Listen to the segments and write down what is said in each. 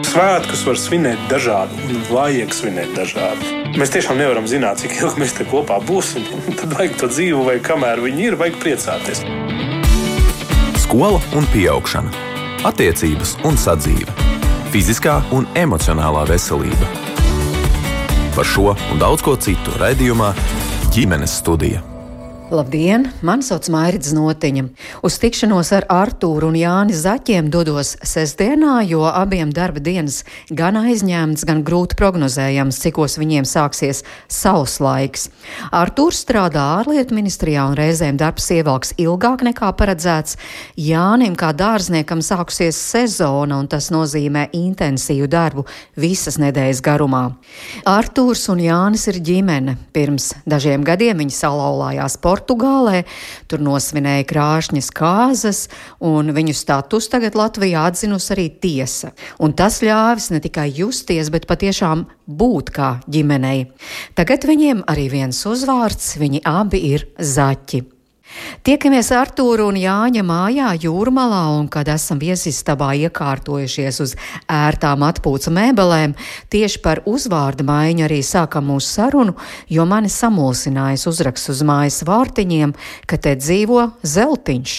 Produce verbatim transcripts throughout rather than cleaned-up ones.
Svētkus var svinēt dažādi un vajag svinēt dažādi. Mēs tiešām nevaram zināt, cik ilgi mēs te kopā būsim. Tad vajag to dzīvu, vai kamēr viņi ir, vajag priecāties. Skola un pieaugšana, attiecības un sadzīve, fiziskā un emocionālā veselība. Par šo un daudz ko citu raidījumā Ģimenes studija. Labdien, mani sauc Mairits Notiņa. Uz tikšanos ar Artūru un Jāni Zaķiem dodos sestdienā, jo abiem darba dienas gan aizņemts, gan grūti prognozējams, cikos viņiem sāksies savs laiks. Artūrs strādā ārlietu ministrijā un reizēm darbs ievelks ilgāk nekā paredzēts. Jānim kā dārzniekam sākusies sezona, un tas nozīmē intensīvu darbu visas nedēļas garumā. Artūrs un Jānis ir ģimene. Pirms dažiem gadiem viņi salauzās Portugālē, tur nosvinēja krāšņas kāzas, un viņu status tagad Latvijā atzinusi arī tiesa. Un tas ļāvis ne tikai justies, bet patiešām būt kā ģimenei. Tagad viņiem arī viens uzvārds, viņi abi ir Zaķi. Tiekamies Artūra un Jāņa mājā Jūrmalā, un kad esam viesistabā iekārtojušies uz ērtām atpūca mēbelēm, tieši par uzvārdu maiņu arī sākam mūsu sarunu, jo mani samulsinājis uzraksts uz mājas vārtiņiem, ka te dzīvo Zeltiņš.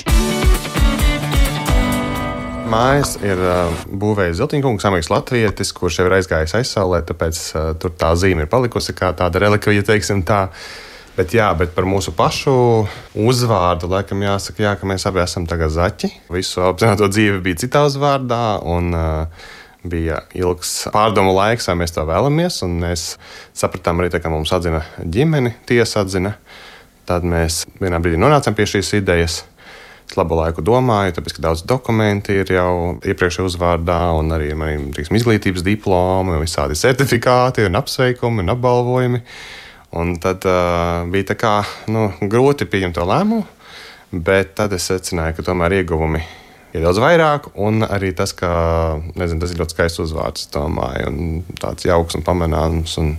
Mājas ir uh, būvējis Zeltiņkungs, amīgs latvietis, kurš jau ir aizgājis aizsaulē, tāpēc uh, tur tā zīme ir palikusi kā tāda relikvija, teiksim tā. Bet jā, bet par mūsu pašu uzvārdu, laikam jāsaka, jā, ka mēs abi esam tagad Zaķi. Visu apzināto dzīvi bija citā uzvārdā, un uh, bija ilgs pārdomu laiks, vai mēs to vēlamies, un mēs sapratām arī, tā, ka mums atzina ģimeni, tiesa atzina. Tad mēs vienā brīdī nonācām pie šīs idejas. Es labu laiku domāju, tāpēc, ka daudz dokumenti ir jau iepriekšējā uzvārdā, un arī man ir izglītības diplomi, un visādi certifikāti, un apsveikumi, un apbalvojumi. Un tad uh, bija tā kā, nu, grūti pieņemt to lēmumu, bet tad es secināju, ka tomēr ieguvumi ir daudz vairāk, un arī tas, ka, nezinu, tas ir ļoti skaists uzvārds, domāju, un tāds jauks un pamanāms, un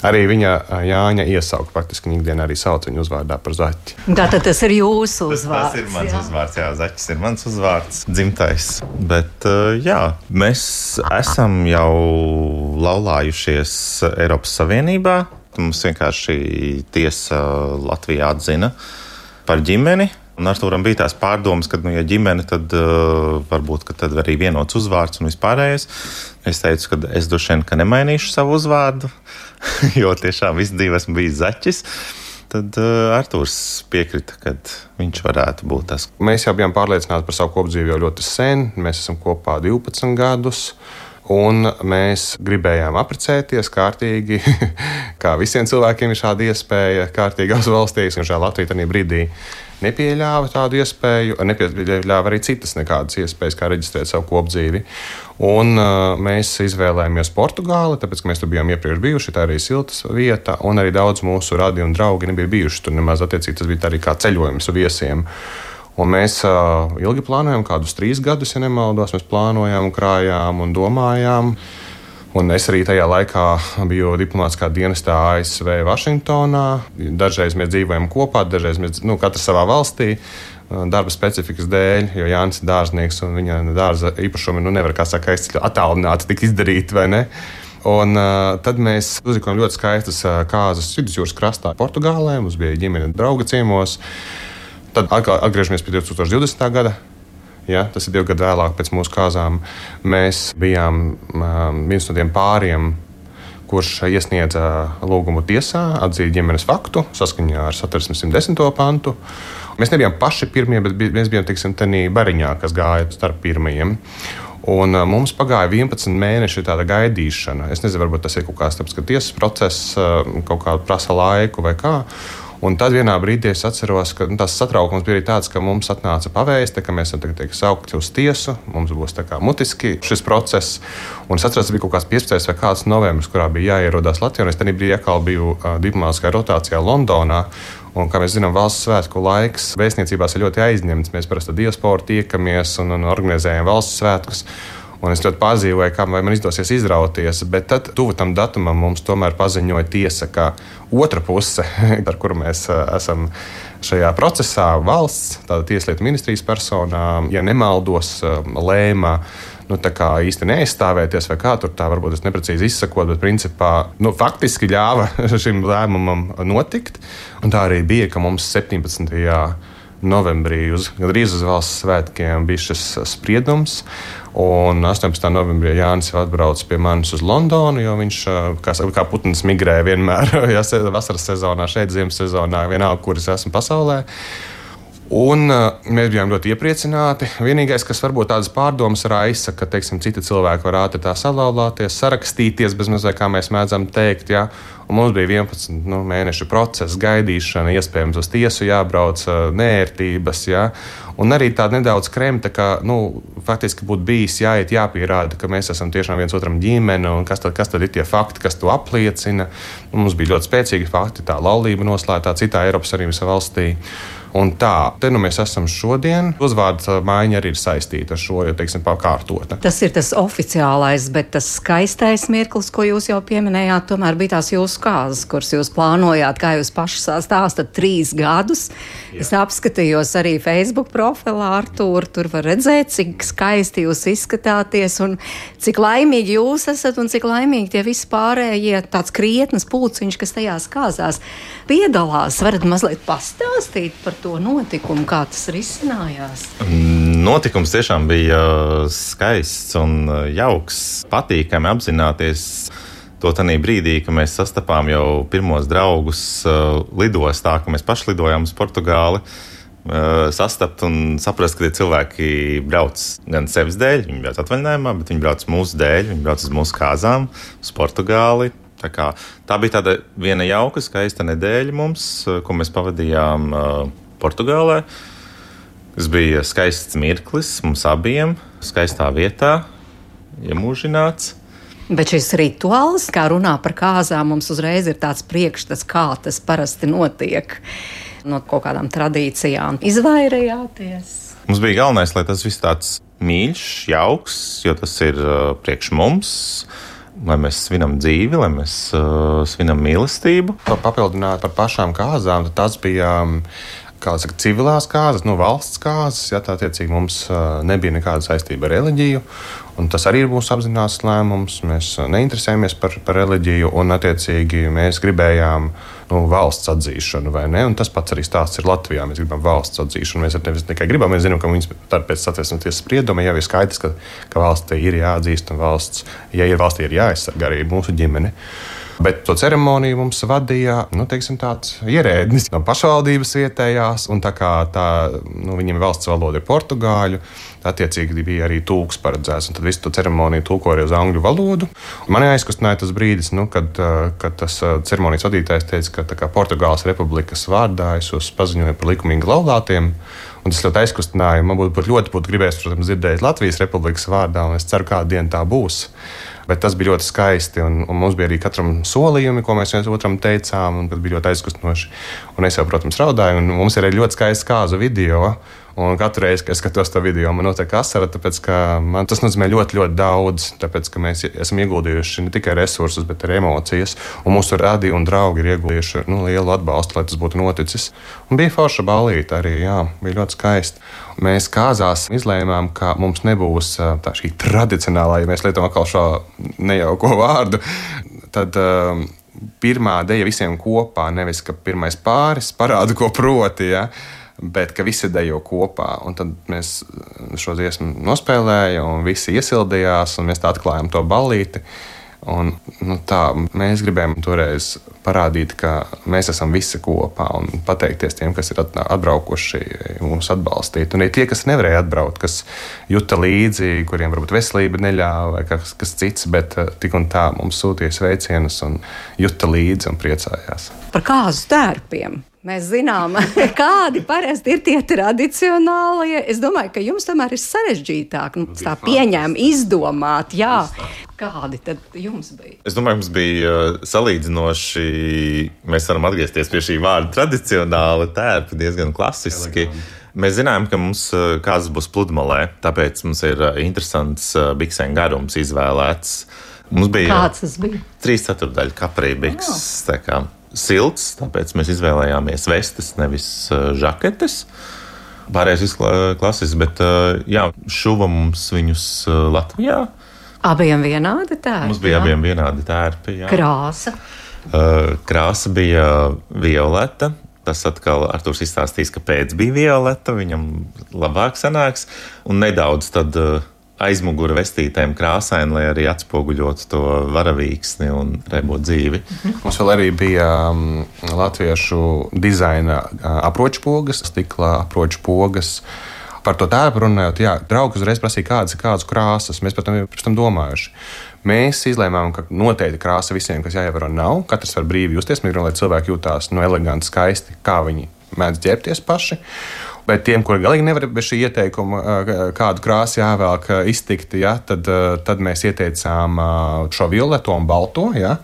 arī viņa Jāņa iesauka, faktiski viņa ikdienā arī sauc viņu uzvārdā par Zaķi. Tātad tas ir jūsu uzvārds. Tas ir mans jā. uzvārds, jā, Zaķis ir mans uzvārds, dzimtais. Bet, jā, mēs esam jau laulājušies Eiropas Savienībā. Mums vienkārši tiesa Latvijā atzina par ģimeni. Un Artūram bija tās pārdomas, ka, nu, ja ģimene, tad uh, varbūt, ka tad arī vienots uzvārds un vispārējais. Es teicu, ka es droši vien, ka nemainīšu savu uzvārdu, jo tiešām visu dzīvi esmu bijis Zaķis. Tad uh, Artūrs piekrita, ka viņš varētu būt tas. Mēs jau bijām pārliecināti par savu kopdzīvi jau ļoti sen. Mēs esam kopā divpadsmit gadus. Un mēs gribējām apprecēties kārtīgi, kā visiem cilvēkiem ir šāda iespēja kārtīgās valstīs, un šajā Latvijā tajā brīdī nepieļāva tādu iespēju, nepieļāva arī citas nekādas iespējas, kā reģistrēt savu kopdzīvi. Un uh, mēs izvēlējāmies Portugāli, tāpēc, ka mēs tur bijām iepriekš bijuši, tā arī siltas vieta, un arī daudz mūsu radi un draugi nebija bijuši tur nemaz attiecīgi, tas bija arī kā ceļojums viesiem. Un mēs uh, ilgi plānojām, kādus trīs gadus, ja nemaldos, mēs plānojām, krājām un domājām. Un es arī tajā laikā biju diplomātiskā dienestā A S V Vašingtonā. Dažreiz mēs dzīvojam kopā, dažreiz mēs, nu, katrs savā valstī, darba specifikas dēļ, jo Jānis ir dārznieks un viņa dārza īpašumi nu, nevar, kā saka, attālināti tik izdarīt, vai ne? Un uh, tad mēs uzrikojam ļoti skaistas uh, kāzas vidusjūras krastā Portugālē, mums bija ģimene drauga ciemos. Tad atgriežamies pie divi tūkstoši divdesmitā gada. Ja, tas ir divi gadi vēlāk pēc mūsu kāzām. Mēs bijām um, viens no tiem pāriem, kurš iesniedza lūgumu tiesā atzīt ģimenes faktu saskaņā ar Satversmes simt desmito pantu. Mēs nebijām paši pirmie, bet mēs bijām, teiksim, tenī bariņā, kas gāja starp pirmajiem. Un uh, mums pagāja vienpadsmit mēneši tāda gaidīšana. Es nezinu, varbūt tas ir kaut kāds tāpēc, ka tiesas process uh, kaut kā prasa laiku vai kā. Un tad vienā brīdī es atceros, ka nu, tas satraukums bija arī tāds, ka mums atnāca pavēste, ka mēs esam tagad saukti uz tiesu, mums būs tā kā mutiski šis process. Un es atceros, ka bija kaut kāds piecpadsmitais vai kāds novembris, kurā bija jāierodās Latvijā. Un es tajā brīdī atkal biju uh, diplomātiskā rotācijā Londonā. Un, kā mēs zinām, valsts svētku laiks vēstniecībās ir ļoti aizņemts. Mēs parasti diasporu tiekamies un, un organizējam valsts svētkus. Un es ļoti pazīvoju, kā man izdosies izrauties, bet tad tuvu tam datumam mums tomēr paziņoja tiesa, ka otra puse, ar kuru mēs esam šajā procesā, valsts, tāda tieslietu ministrijas personā, ja nemaldos, lēma nu, tā kā īsti neaizstāvēties, vai kā tur tā varbūt es neprecīzi izsakot, bet principā nu, faktiski ļāva šim lēmumam notikt. Un tā arī bija, ka mums septiņpadsmitajā novembrī, uz, gandrīz uz valsts svētkiem, bija šis spriedums. Un astoņpadsmitā novembrī Jānis atbrauc pie manis uz Londonu, jo viņš kā, kā putns migrē vienmēr, ja vasaras sezonā, šeit ziemas sezonā, vienalga, kur es esmu pasaulē. Un uh, mēs bijām ļoti iepriecināti. Vienīgais, kas varbūt tādas pārdomas raisa, ka teiksim, citi cilvēki var ātri tā salauzties, sarakstīties, bez mazliet kā mēs mēdzam teikt. Ja? Un mums bija vienpadsmit nu, mēnešu process, gaidīšana, iespējams uz tiesu jābrauc, nērtības. Ja? Un arī tāda nedaudz kremta, ka nu, faktiski būtu bijis jāiet, jāpierāda, ka mēs esam tiešām viens otram ģimene, un kas tad, kas tad ir tie fakti, kas to apliecina. Un mums bija ļoti spēcīgi fakti, tā laulība noslēgtā citā Eiropas Savienības valstī. Un tā, te nu mēs esam šodien. Uzvārda maiņa arī ir saistīta ar šo, jo, teiksim, pakārtota. Tas ir tas oficiālais, bet tas skaistais mirklis, ko jūs jau pieminējāt, tomēr bija tās jūsu kāzas, kuras jūs plānojāt, kā jūs paši stāstat, trīs gadus. Jā. Es apskatījos arī Facebook profilā Artūru, tur var redzēt, cik skaisti jūs izskatāties un cik laimīgi jūs esat un cik laimīgi tie visi pārējie tāds krietnes pulciņš, kas tajās kāzās piedalās. Varat mazliet pastāstīt par to notikumu, kā tas risinājās? Notikums tiešām bija skaists un jauks, patīkami apzināties to tanī brīdī, ka mēs sastapām jau pirmos draugus lidostā, ka mēs paši lidojām uz Portugāli, sastapt un saprast, ka tie cilvēki brauc gan sevis dēļ, viņi brauc atvaļinājumā, bet viņi brauc mūsu dēļ, viņi brauc uz mūsu kāzām, uz Portugāli. Tā, kā, tā bija tāda viena jauka, skaista nedēļa mums, ko mēs pavadījām uh, Portugālē. Tas bija skaists mirklis mums abiem, skaistā vietā, iemūžināts. Bet šis rituāls, kā runā par kāzām, mums uzreiz ir tāds priekšstats, kā tas parasti notiek. No kaut kādām tradīcijām izvairījāties? Mums bija galvenais, lai tas viss tāds mīļš, jauks, jo tas ir uh, priekš mums. Lai mēs svinam dzīvi, lai mēs uh, svinam mīlestību. Papildināt par pašām kāzām, tad tas bija kā saka, civilās kāzas, no valsts kāzas. Ja, tā attiecīgi mums uh, nebija nekāda saistība ar reliģiju. Un tas arī ir mūsu apzināts lēmums. Mēs uh, neinteresējamies par, par reliģiju un attiecīgi mēs gribējām nu, valsts atzīšanu, vai ne? Un tas pats arī stāsts ir Latvijā. Mēs gribam valsts atzīšanu. Mēs nevis tikai gribam, mēs zinām, ka viņas pēc satversmes tiesas sprieduma jau ir skaidrs, ka, ka valstī ir jāatzīst un valsts, ja ir valstī, ir jāaizsargā arī mūsu ģimene. Bet to ceremoniju mums vadīja nu, teiksim, tāds ierēdnis no pašvaldības vietējās, un tā kā tā, nu, viņiem valsts valoda ir portugāļu, attiecīgi bija arī tulks paredzēts, un tad visu to ceremoniju tulkoja uz angļu valodu. Mani aizkustināja tas brīdis, nu, kad, kad tas ceremonijas vadītājs teica, ka tā kā Portugāles republikas vārdā es jūs paziņoju par likumīgi laulātiem. Un tas ļoti aizkustināja. Man būtu ļoti būtu gribējis, protams, dzirdēt Latvijas republikas vārdā, un es ceru, kādu dienu tā būs. Bet tas bija ļoti skaisti, un, un mums bija arī katram solījumi, ko mēs viens otram teicām, un tas bija ļoti aizkustinoši. Un es jau, protams, raudāju, un mums ir arī ļoti skaists kāzu video. Un katru reizi, kad es skatos to video, man notiek asara, tāpēc ka man tas nozīmē ļoti, ļoti daudz. Tāpēc ka mēs esam ieguldījuši ne tikai resursus, bet arī emocijas. Un mūsu radi un draugi ir ieguldījuši nu, lielu atbalstu, lai tas būtu noticis. Un bija forša ballīte arī, jā, bija ļoti skaisti. Mēs kāzās izlēmām, ka mums nebūs tā šī tradicionālā, ja mēs lietojam atkal šo nejauko vārdu, tad um, pirmā deja visiem kopā, nevis ka pirmais pāris parāda, ko proti, ja, bet ka visi dejo kopā. Un tad mēs šo dziesmu nospēlējām, un visi iesildījās, un mēs tā atklājām to ballīti. Un, nu, tā, mēs gribējām toreiz parādīt, ka mēs esam visi kopā un pateikties tiem, kas ir atbraukuši mūs atbalstīt. Un ir tie, kas nevarēja atbraukt, kas juta līdzi, kuriem varbūt veselība neļāva vai kas, kas cits, bet tik un tā mums sūtīja sveicienus un juta līdzi un priecājās. Par kāzu tērpiem. Mēs zinām, kādi parasti ir tie tradicionālie. Es domāju, ka jums tomēr ir sarežģītāk nu, tā pieņēma, izdomāt. Jā. Kādi tad jums bija? Es domāju, mums bija salīdzinoši, mēs varam atgriezties pie šī vārda tradicionāli tērpi, diezgan klasiski. Mēs zinājām, ka mums kāzas būs pludmalē, tāpēc mums ir interesants biksēm garums izvēlēts. Mums bija Kāds tas bija? Trīs ceturdaļu kaprī biks, tā kā silts, tāpēc mēs izvēlējāmies vestes, nevis žaketes. Pārējais viss klasisks, bet jā, šuva mums viņus Latvijā. Abiem vienādi tērpi? Mums bija jā. abiem vienādi tērpi, jā. Krāsa? Krāsa bija violeta. Tas atkal Artūrs izstāstīs, ka pēc bija violeta, viņam labāk sanāks. Un nedaudz tad aizmugura vestītēm krāsaini, lai arī atspoguļotu to varavīksni un rebo dzīvi. Mums vēl arī bija um, latviešu dizaina uh, aproču pogas, stikla aproču pogas. Par to tērpu runājot, jā, draugi uzreiz prasīja, kādas ir kādas krāsas. Mēs par tam, par tam domājuši. Mēs izlēmām, ka noteikti krāsa visiem, kas jāievēro, nav. Katrs var brīvi justies. Mēs gribam, lai cilvēki jūtās no eleganti, skaisti, kā viņi mēdz ģērbties paši. Bet tiem, kuri galīgi nevar bez šī ieteikuma, kādu krāsu jāvēlk iztikt, ja, tad, tad mēs ieteicām šo violeto un balto. Ja.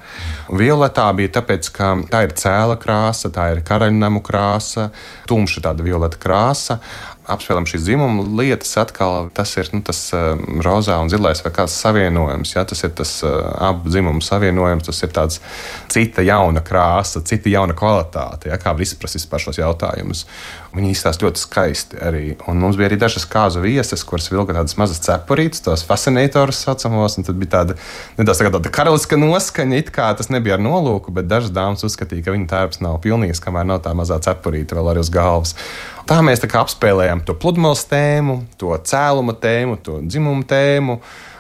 Violetā bija tāpēc, ka tā ir cēla krāsa, tā ir karaļnamu krāsa, tumša tāda violeta krāsa. Apspēlējam šīs dzimuma lietas, atkal tas ir nu, tas uh, rozā un zilais vai kāds savienojums. Ja? Tas ir tas uh, abu dzimumu savienojums, tas ir tāds cita jauna krāsa, cita jauna kvalitāte, ja? Kā var izprast vispār šos jautājumus. Viņi izstāsta ļoti skaisti arī. Un mums bija arī dažas kāzu vieses, kuras vilka tādas mazas cepurītes, tos fascinatorus saucamos, un tad bija tāda nedaudz tā tāda karaliska noskaņa, it kā tas nebija ar nolūku, bet dažas dāmas uzskatīja, ka viņa tērps nav pilnīgs, kamēr nav tā mazā cepurīte vēl arī uz galvas. Tā mēs tā kā apspēlējām to pludmales tēmu, to cēluma tēmu, to dzimumu tēmu.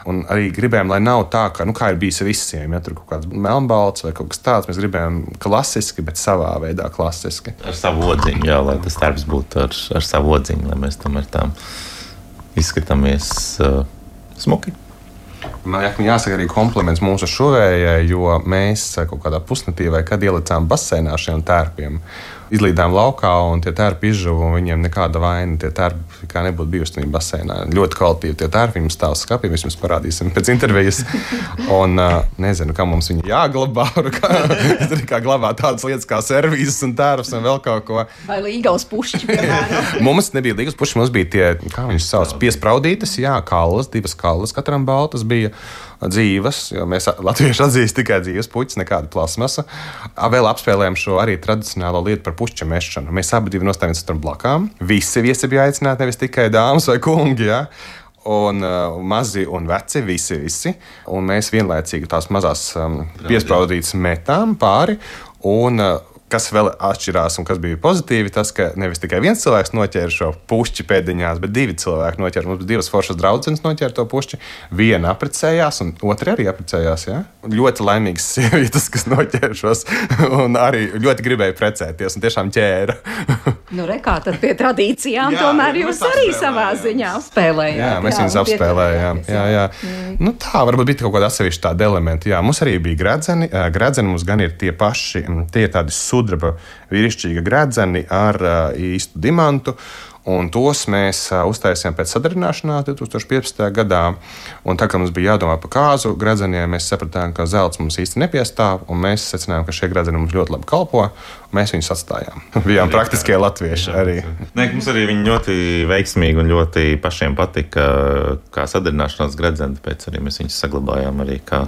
Un arī gribējām, lai nav tā, ka, nu, kā ir bijis visiem, ja tur kaut kāds melnbalts vai kaut kas tāds. Mēs gribējām klasiski, bet savā veidā klasiski. Ar savu odziņu, jā, lai tas darbs būtu ar, ar savu odziņu, lai mēs tomēr tā izskatāmies uh, smuki. Man jāsaka arī kompliments mūsu šuvējai, jo mēs kaut kādā pusnatī vai kad ielicām baseinā šiem tērpiem. Izlīdām laukā, un tie tērpi izžuva, un viņiem nekāda vaina. Tie tērpi kā nebūtu bijusi viņa baseinā. Ļoti kvalitīvi tie tērpi, viņiem stāv skapī, mēs jums parādīsim pēc intervijas. Un uh, nezinu, kā mums viņi jāglabā, kā, kā glabāt tādas lietas kā servīzes un tērps un vēl kaut ko. Vai līgavas pušķi, piemēram? Mums nebija līgavas pušķi, mums bija tie, kā viņus sauc, piespraudītas, jā, kallas, divas kallas, katram baltas bija. Dzīves, jo mēs latvieši atzīst tikai dzīves puķis, nekāda plasmasa. Vēl apspēlējām šo arī tradicionālo lietu par pušķa mešanu. Mēs abi divi nostājāmies ar blakām. Visi viesi bija aicināti, nevis tikai dāmas vai kungi. Ja? Un uh, mazi un veci, visi, visi. Un mēs vienlaicīgi tās mazās um, piespraudītas metām pāri. Un, uh, kas vēl atšķirās un kas bija pozitīvi, tas, ka nevis tikai viens cilvēks noķēra šo pušķi pēdiņās, bet divi cilvēki noķēra. Mums bija divas foršas draudzenes noķēra to pušķi. Viena apprecējās, un otra arī apprecējās. Ja? Ļoti laimīgas sievietes, kas noķēra šos, un arī ļoti gribēja precēties, un tiešām ķēra. Nu, re, kā tad pie tradīcijām, jā, tomēr jūs arī savā ziņā apspēlējāt. Jā, mēs viņus apspēlējām. Jā, jā. Mm. Nu, tā varbūt bija kaut kāda atsevišķa tāda elementa. Jā, mums arī bija gredzeni. Gredzeni mums gan ir tie paši, tie ir tādi sudraba vīrišķīga gredzeni ar īstu dimantu. Un tos mēs uh, uztaisījām pēc sadarināšanās divtūkstoš piecpadsmitajā gadā. Un tā kā mums bija jādomā par kāzu gredzeniem, mēs sapratām, ka zelts mums īsti nepiestāv. Un mēs secinājām, ka šie gredzeni mums ļoti labi kalpo. Mēs viņus atstājām. Bijām praktiskie latvieši jā, arī. Nē, mums arī viņi ļoti veiksmīgi un ļoti pašiem patika kā sadarināšanās gredzeni. Tāpēc arī mēs viņus saglabājām arī kā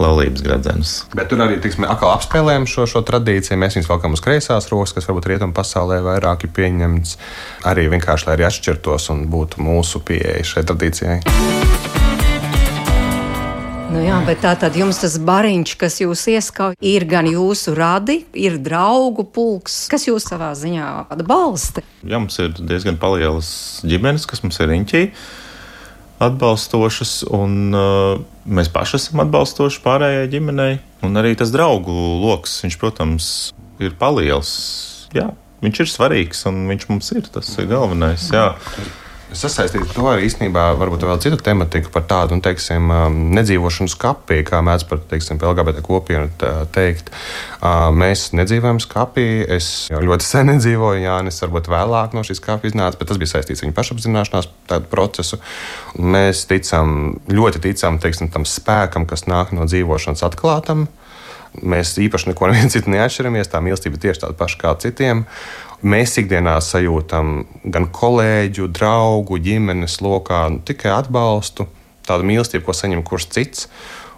laulības gredzenus. Bet tur arī tiksim, atkal apspēlējam šo, šo tradīciju. Mēs viņus valkam uz kreisās rokas, kas varbūt rietumu pasaulē vairāk ir pieņemts. Arī vienkārši, lai arī atšķirtos un būtu mūsu pieeja šai tradīcijai. Nu jā, bet tā tad jums tas bariņš, kas jūs ieskauj, ir gan jūsu radi, ir draugu pulks, kas jūs savā ziņā atbalsta? Jā, mums ir diezgan palielas ģimenes, kas mums ir riņķī atbalstošas, un uh, mēs paši esam atbalstoši pārējai ģimenei. Un arī tas draugu loks, viņš, protams, ir paliels. Jā, viņš ir svarīgs, un viņš mums ir, tas ir galvenais, jā. Sasaistīt to arī īstenībā varbūt vēl citu tematiku par tādu, un, teiksim, nedzīvošanu skapī, kā mēdz par, teiksim, L G B T kopienu teikt. Mēs nedzīvojam skapī, es jau ļoti sen nedzīvoju, Jānis varbūt vēlāk no šīs skapī iznāca, bet tas bija saistīts viņu pašapzināšanās tādu procesu. Mēs ticam, ļoti ticam, teiksim, tam spēkam, kas nāk no dzīvošanas atklātam. Mēs īpaši neko neviens citu neatšķiramies, tā mīlestība tieši tāda paša kā citiem. Mēs ikdienā sajūtam gan kolēģu, draugu, ģimenes lokā nu, tikai atbalstu, tādu mīlestību, ko saņem kurš cits.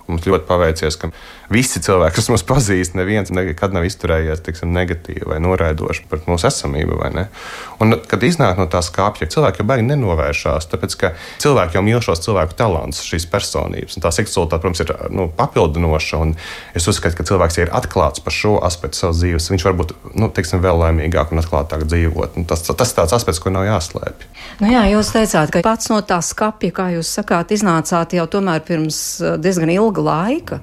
Mums ļoti paveicies, ka visi cilvēki, kas mūs pazīst, neviens nekad nav izturējies tiksim, negatīvi vai noraidoši pret mūsu esamību. Un, kad iznāk no tā skāpja, cilvēki jau baigi nenovēršās, tāpēc ka cilvēki jau mīl šos cilvēku talantus, šīs personības. Un tā seksualitāte, protams, ir nu, papildinoša. Es uzskatu, ka cilvēks ir atklāts par šo aspektu savas dzīves. Viņš var būt nu, tiksim, vēl laimīgāk un atklātāk dzīvot. Un tas, tas ir tāds aspekts, ko nav jāslēpj. Nu jā, jūs teicāt, ka pats no tā skapja, kā jūs sakāt, iznācāt jau tomēr pirms diezgan ilga laika.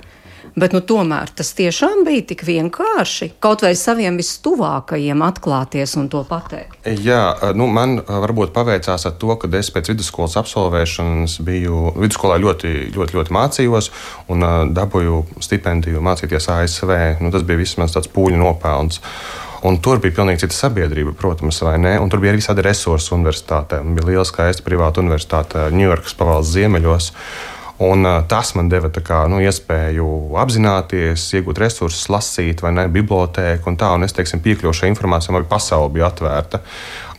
Bet nu, tomēr tas tiešām bija tik vienkārši kaut vai saviem vistuvākajiem atklāties un to pateikt. Jā, nu, man varbūt paveicās ar to, ka es pēc vidusskolas absolvēšanas biju vidusskolā ļoti, ļoti, ļoti mācījos un uh, dabūju stipendiju mācīties A S V. Nu, tas bija viss mans tāds pūļu nopelns. Un tur bija pilnīgi cita sabiedrība, protams, vai ne? Un tur bija arī visādi resursi universitātē. Bija liela skaista privāta universitāte Ņujorkas pavalsts ziemeļos. Un, uh, tas man deva kā, nu, iespēju apzināties, iegūt resursus, lasīt, vai ne, bibliotēku un tā. Un es, teiksim, piekļuvu šai informācijai, man bija pasaule bija atvērta.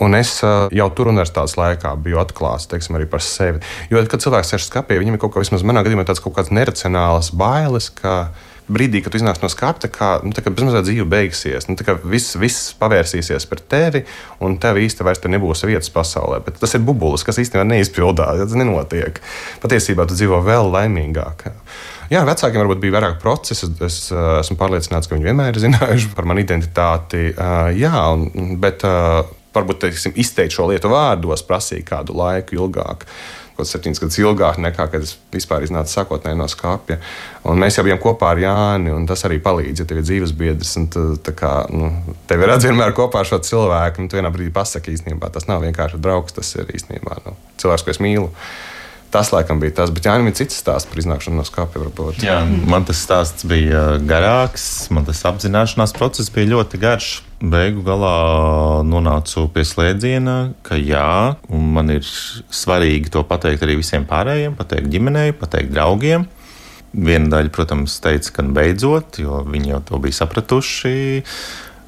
Un es uh, jau tur universitātes laikā biju atklāts, teiksim, arī par sevi. Jo, kad cilvēks sēž skapī, viņam ir kaut kā, vismaz manā gadījumā, tāds kaut kāds neracionāls bailes, ka brīdī, kad tu iznāc no skapja, kā, nu, tā kā bezmazliet dzīve beigsies, nu, tā kā viss, viss pavērsīsies par tevi, un tev īsti vairs nebūs vietas pasaulē. Bet tas ir bubulis, kas īstenībā neizpildās, tas nenotiek. Patiesībā tu dzīvo vēl laimīgāk. Jā, vecākiem varbūt bija vairāk procesu. Es uh, esmu pārliecināts, ka viņi vienmēr ir zinājuši par manu identitāti. Uh, jā, un, bet uh, varbūt teiksim, izteikt šo lietu vārdos prasīja kādu laiku ilgāk. Kaut septiņas gadus ilgāk nekā, kad es vispār iznācu sākotnēji no skapja. Un mēs jau bijām kopā ar Jāni, un tas arī palīdz, ja tev ir dzīves biedrs, un tu, tā kā, nu, tev ir redz vienmēr kopā ar šo cilvēku, un tu vienā brīdī pasaki īstenībā, tas nav vienkārši draugs, tas ir īstenībā nu, cilvēks, ko es mīlu. Tas, laikam, bija tas, bet Jānim ir cits stāsts par iznākšanu no skapja, varbūt. Jā, man tas stāsts bija garāks, man tas apzināšanās process bija ļoti garš. Beigu galā nonācu pie slēdziena, ka jā, un man ir svarīgi to pateikt arī visiem pārējiem, pateikt ģimenei, pateikt draugiem. Viena daļa, protams, teica, ka beidzot, jo viņi jau to bija sapratuši.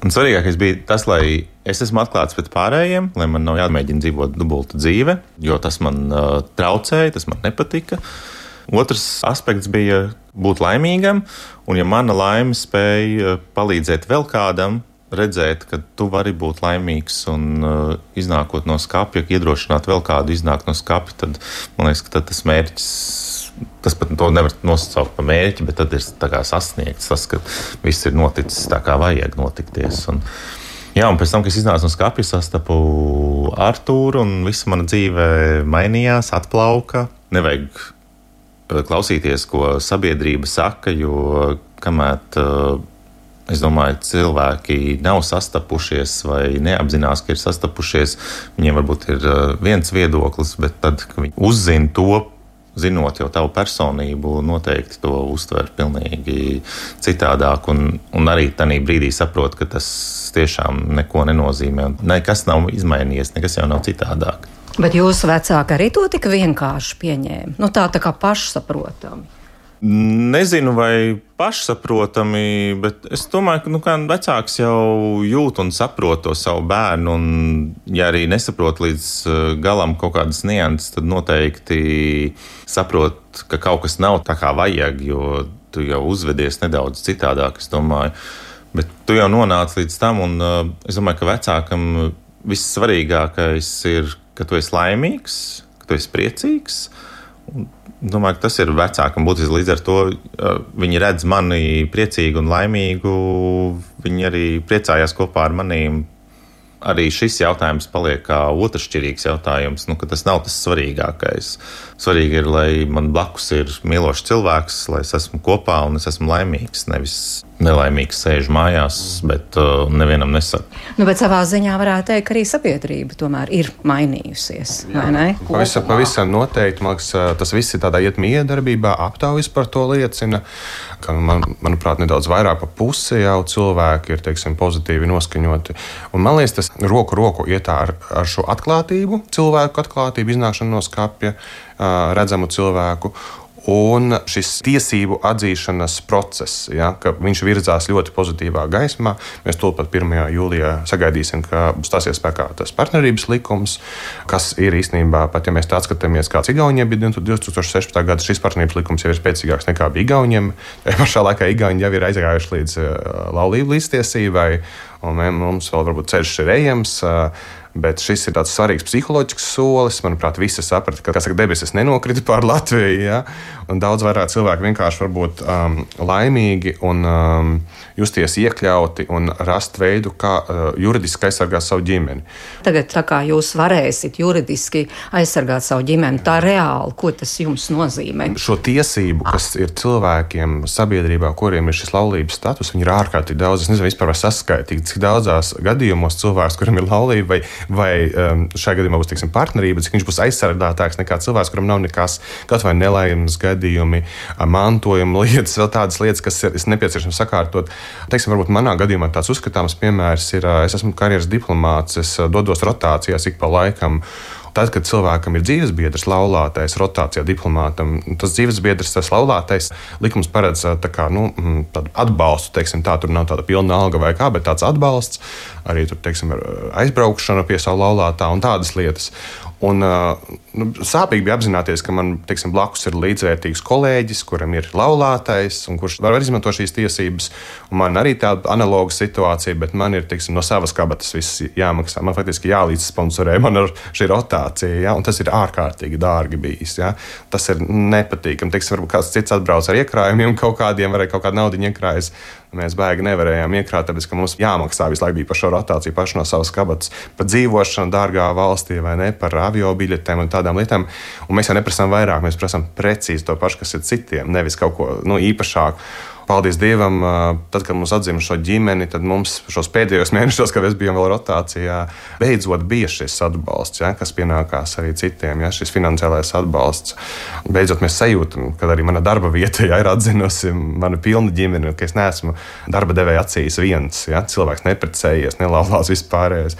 Un svarīgākais bija tas, lai es esmu atklāts pret pārējiem, lai man nav jāmēģina dzīvot dubultu dzīve, jo tas man uh, traucēja, tas man nepatika. Otrs aspekts bija būt laimīgam, un ja mana laime spēja palīdzēt vēl kādam, redzēt, ka tu vari būt laimīgs un uh, iznākot no skapja, iedrošināt vēl kādu iznākt no skapja, tad man liekas, ka tad tas mērķis, tas pat to nevar nosaukt par mērķi, bet tad ir tā kā sasniegts tas, ka viss ir noticis tā kā vajag notikties. Un, jā, un pēc tam, kad es iznācu no skapja, sastapu Artūru un visa mana dzīve mainījās, atplauka. Nevajag klausīties, ko sabiedrība saka, jo kamēr uh, es domāju, cilvēki nav sastapušies vai neapzinās, ka ir sastapušies. Viņiem varbūt ir viens viedoklis, bet tad, kad viņi uzzina to, zinot jau tavu personību, noteikti to uztver pilnīgi citādāk. Un, un arī tajā brīdī saprot, ka tas tiešām neko nenozīmē. Nekas nav izmainījies, nekas jau nav citādāk. Bet jūsu vecāki arī to tik vienkārši pieņēma? Nu tā, tā kā pašsaprotami. Nezinu, vai pašsaprotami, bet es domāju, ka nu, vecāks jau jūt un saprot to savu bērnu. Un, ja arī nesaprot līdz galam kaut kādas nianses, tad noteikti saprot, ka kaut kas nav tā kā vajag, jo tu jau uzvedies nedaudz citādāk, es domāju. Bet tu jau nonāc līdz tam, un es domāju, ka vecākam vissvarīgākais ir, ka tu esi laimīgs, ka tu esi priecīgs. Un domāju, ka tas ir vecākam būtiski. Līdz ar to viņi redz mani priecīgu un laimīgu. Viņi arī priecājās kopā ar manīm. Arī šis jautājums paliek kā otršķirīgs jautājums, nu, ka tas nav tas svarīgākais. Svarīgi ir, lai man blakus ir mīlošs cilvēks, lai es esmu kopā un es esmu laimīgs, nevis nelaimīgs sēžu mājās, bet uh, nevienam nesaku. Nu, bet savā ziņā varētu teikt, ka arī sabiedrība tomēr ir mainījusies, vai ne? Pavisam, pavisam noteikti, man liekas, tas viss ir tādā iet miedarbībā, aptaujas par to liecina, ka, man, manuprāt, nedaudz vairāk pa pusi jau cilvēki ir, teiksim, pozitīvi noskaņoti. Un man liekas, tas roku roku iet ar, ar šo atklātību, cilvēku atklātību, iznākšanu no skapja, redzamu cilvēku. Un šis tiesību atzīšanas process, ja, ka viņš virzās ļoti pozitīvā gaismā. Mēs tūlīt pirmajā jūlijā sagaidīsim, ka stāsies spēkā tas partnerības likums, kas ir īstenībā, pat ja mēs tā skatāmies, kāds Igauniem bija divs tūkstoši sešpadsmitā gada, šis partnerības likums jau ir spēcīgāks nekā bija Igauniem. Tajā pašā laikā Igauni jau ir aizgājuši līdz laulību līdztiesībai, un mums vēl varbūt ceļš ir ejams. Bet šis ir tāds svarīgs psiholoģisks solis. Manuprāt, visi saprata, ka saka, debesis nenokrita pār Latviju. Ja? Un daudz vairāk cilvēku vienkārši var būt um, laimīgi un um, justies iekļauti un rast veidu, kā uh, juridiski aizsargāt savu ģimeni. Tagad, tā kā jūs varēsiet juridiski aizsargāt savu ģimeni, tā reāli, ko tas jums nozīmē? Šo tiesību, kas ir cilvēkiem sabiedrībā, kuriem ir šis laulības status, viņi ir ārkārtīgi daudz. Es nezinu, vispār var saskaitīt, cik daudzās gadījumos cilvēks, kuram ir laulība vai vai um, šajā gadījumā būs, teiksim, partnerība, cik viņš būs aizsargātāks nekā cilvēks, kuram nav nekas, kaut vai nelaimes gadījumi, mantojuma lietas, vēl tādas lietas, kas ir nepieciešams sakārtot. Teiksim, varbūt manā gadījumā tāds uzskatāms piemērs ir, es esmu karjeras diplomāts, es dodos rotācijās ik pa laikam. Tad, kad cilvēkam ir dzīvesbiedrs, laulātais, rotācijā diplomātam, tas dzīvesbiedrs, tas laulātais, likums paredz tā kā, nu, tādu atbalstu, teiksim, tā, tur nav tāda pilna alga vai kā, bet tāds atbalsts, arī tur, teiksim, aizbraukšana pie savu laulātā un tādas lietas. Un, nu, sāpīgi bija apzināties, ka man, teiksim, blakus ir līdzvērtīgs kolēģis, kuram ir laulātais un kurš var izmantot šīs tiesības. Un man arī tāda analoga situācija, bet man ir, teiksim, no savas kabatas viss jāmaksā. Man faktiski jālīdzsponsorē man ar šī rotācija, ja? Un tas ir ārkārtīgi dārgi bijis. Ja? Tas ir nepatīkami. Teiksim, varbūt kāds cits atbrauc ar iekrājumiem kaut kādiem, vai kaut kādu naudiņu iekrājas. Mēs baigi nevarējām iekrāt, tāpēc, ka mums jāmaksā visu laiku bija par šo rotāciju paši no savas kabatas, par dzīvošanu dārgā valstī vai ne, par avio biļetēm un tādām lietām. Un mēs jau neprasām vairāk, mēs prasām precīzi to pašu, kas ir citiem, nevis kaut ko, nu, īpašāku. Paldies Dievam, tad, kad mums atzima šo ģimeni, tad mums šos pēdējos mēnešos, kad mēs bijām vēl rotācijā, beidzot bija šis atbalsts, ja, kas pienākās arī citiem, ja, šis finansiālais atbalsts. Beidzot mēs sajūtam, kad arī mana darba vieta ja, ir atzinusi manu pilnu ģimeni, ka es neesmu darba devēja acīs viens, ja, cilvēks neprecējies, nelaulās vispārējais.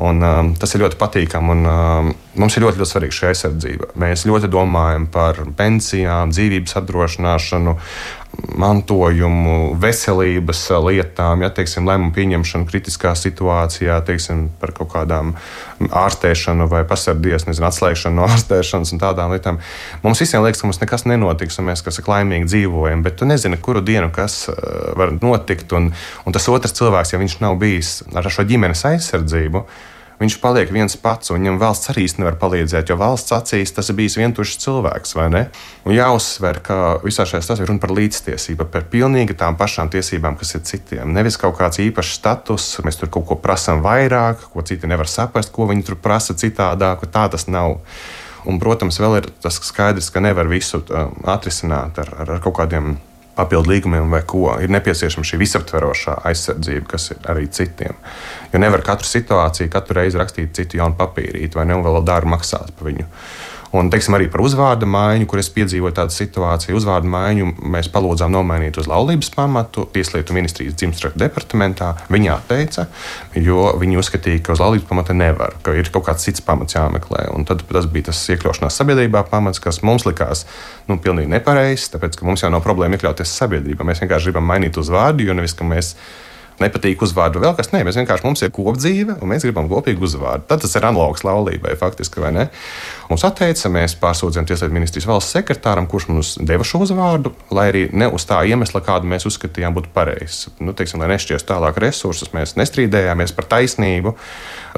Un, um, tas ir ļoti patīkami, un um, mums ir ļoti, ļoti svarīga šī aizsardzība. Mēs ļoti domājam par pensijām, dzīvības apdrošināšanu, mantojumu, veselības lietām, ja, teiksim, lēmumu pieņemšanu kritiskā situācijā, teiksim, par kaut kādām ārstēšanu vai pasardies, nezinu, atslēgšanu no ārstēšanas un tādām lietām. Mums visiem liekas, ka mums nekas nenotiks, un mēs, kas ir laimīgi dzīvojam, bet tu nezini, kuru dienu kas var notikt, un, un tas otrs cilvēks, ja viņš nav bijis ar šo ģimenes aizsardzību, viņš paliek viens pats, un viņam valsts arī nevar palīdzēt, jo valsts acīs tas ir bijis vientušs cilvēks, vai ne? Un jāuzsver, ka visā šajā stāstā ir runa par līdztiesību, par pilnīgi tām pašām tiesībām, kas ir citiem. Nevis kaut kāds īpašs status, mēs tur kaut ko prasām vairāk, ko citi nevar saprast, ko viņi tur prasa citādāk, tā tas nav. Un, protams, vēl ir tas skaidrs, ka nevar visu atrisināt ar, ar, ar kaut kādiem papildu līgumiem vai ko. Ir nepieciešama šī visaptverošā aizsardzība, kas ir arī citiem. Jo nevar katru situāciju, katru reizi rakstīt citu jaunu papīrīti, vai ne, un vēl dārgi maksāt par viņu. Un, teiksim, arī par uzvārda maiņu, kur es piedzīvoju tādu situāciju. Uzvārda maiņu mēs palūdzām nomainīt uz laulības pamatu Tieslietu ministrijas dzimstraktu departamentā. Viņi atteica, jo viņi uzskatīja, ka uz laulības pamata nevar, ka ir kaut kāds cits pamats jāmeklē. Un tad tas bija tas iekļaušanās sabiedrībā pamats, kas mums likās nu, pilnīgi nepareizs, tāpēc, ka mums jau nav problēma iekļauties sabiedrībā. Mēs vienkārši gribam mainīt uzvārdu, jo nevis, ka mēs nepatīk uzvārdu vēl kas. Nē, mēs vienkārši mums ir kopdzīve un mēs gribam kopīgu uzvārdu. Tad tas ir analogs laulībai faktiski, vai ne? Mums atteica, mēs pārsūdzējām Tieslietu ministrijas valsts sekretāram, kurš mums deva šo uzvārdu, lai arī ne uz tā iemesla, kādu mēs uzskatījām būtu pareizs. Nu, teiksim, lai nešķiest tālāk resursus, mēs nestrīdējāmies par taisnību.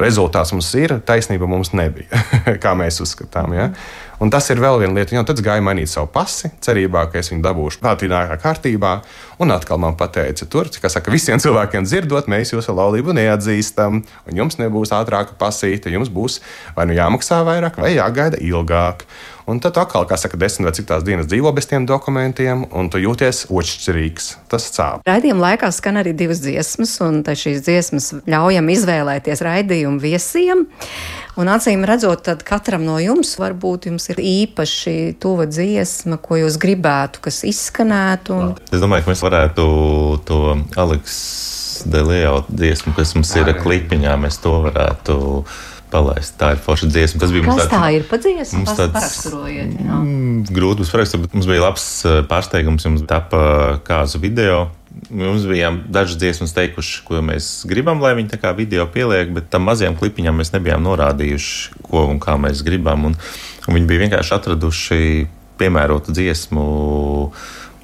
Rezultāts mums ir, taisnība mums nebija, kā mēs uzskatām, ja? Un tas ir vēl viena lieta, jo tad gāja mainīt savu pasi, cerībā, ka es viņu dabūšu tālākā kārtībā. Un atkal man pateica, tur, kā saka, visiem cilvēkiem dzirdot, mēs jūsu laulību neatzīstam, un jums nebūs ātrāka pasīte, jums būs vai nu jāmaksā vairāk, vai jāgaida ilgāk. Un tad atkal, kā saka, desmit vai cik tās dienas dzīvo bez tiem dokumentiem, un tu jūties otršķirīgs. Tas sāp. Raidījuma laikā skan arī divas dziesmas, un šīs dziesmas ļaujam izvēlēties raidījumu viesiem. Un acīm redzot, tad katram no jums varbūt jums ir īpaši tuva dziesma, ko jūs gribētu, kas izskanētu. Un... Es domāju, ka mēs varētu to Aleks de Leo dziesmu, kas mums ir klipiņā, mēs to varētu palaist. Tā ir forša dziesma. Tas bija Kas mums tāds, tā ir pa dziesmu? mums tāds, Paraksturojiet. Jā. Mm, grūti mums paraksturt, bet mums bija labs pārsteigums, jums tapa kāzu video. Mums bija dažas dziesmas teikuši, ko mēs gribam, lai viņi tā kā video pieliek, bet tam mazajam klipiņam mēs nebijām norādījuši, ko un kā mēs gribam. Un, un viņi bija vienkārši atraduši piemērotu dziesmu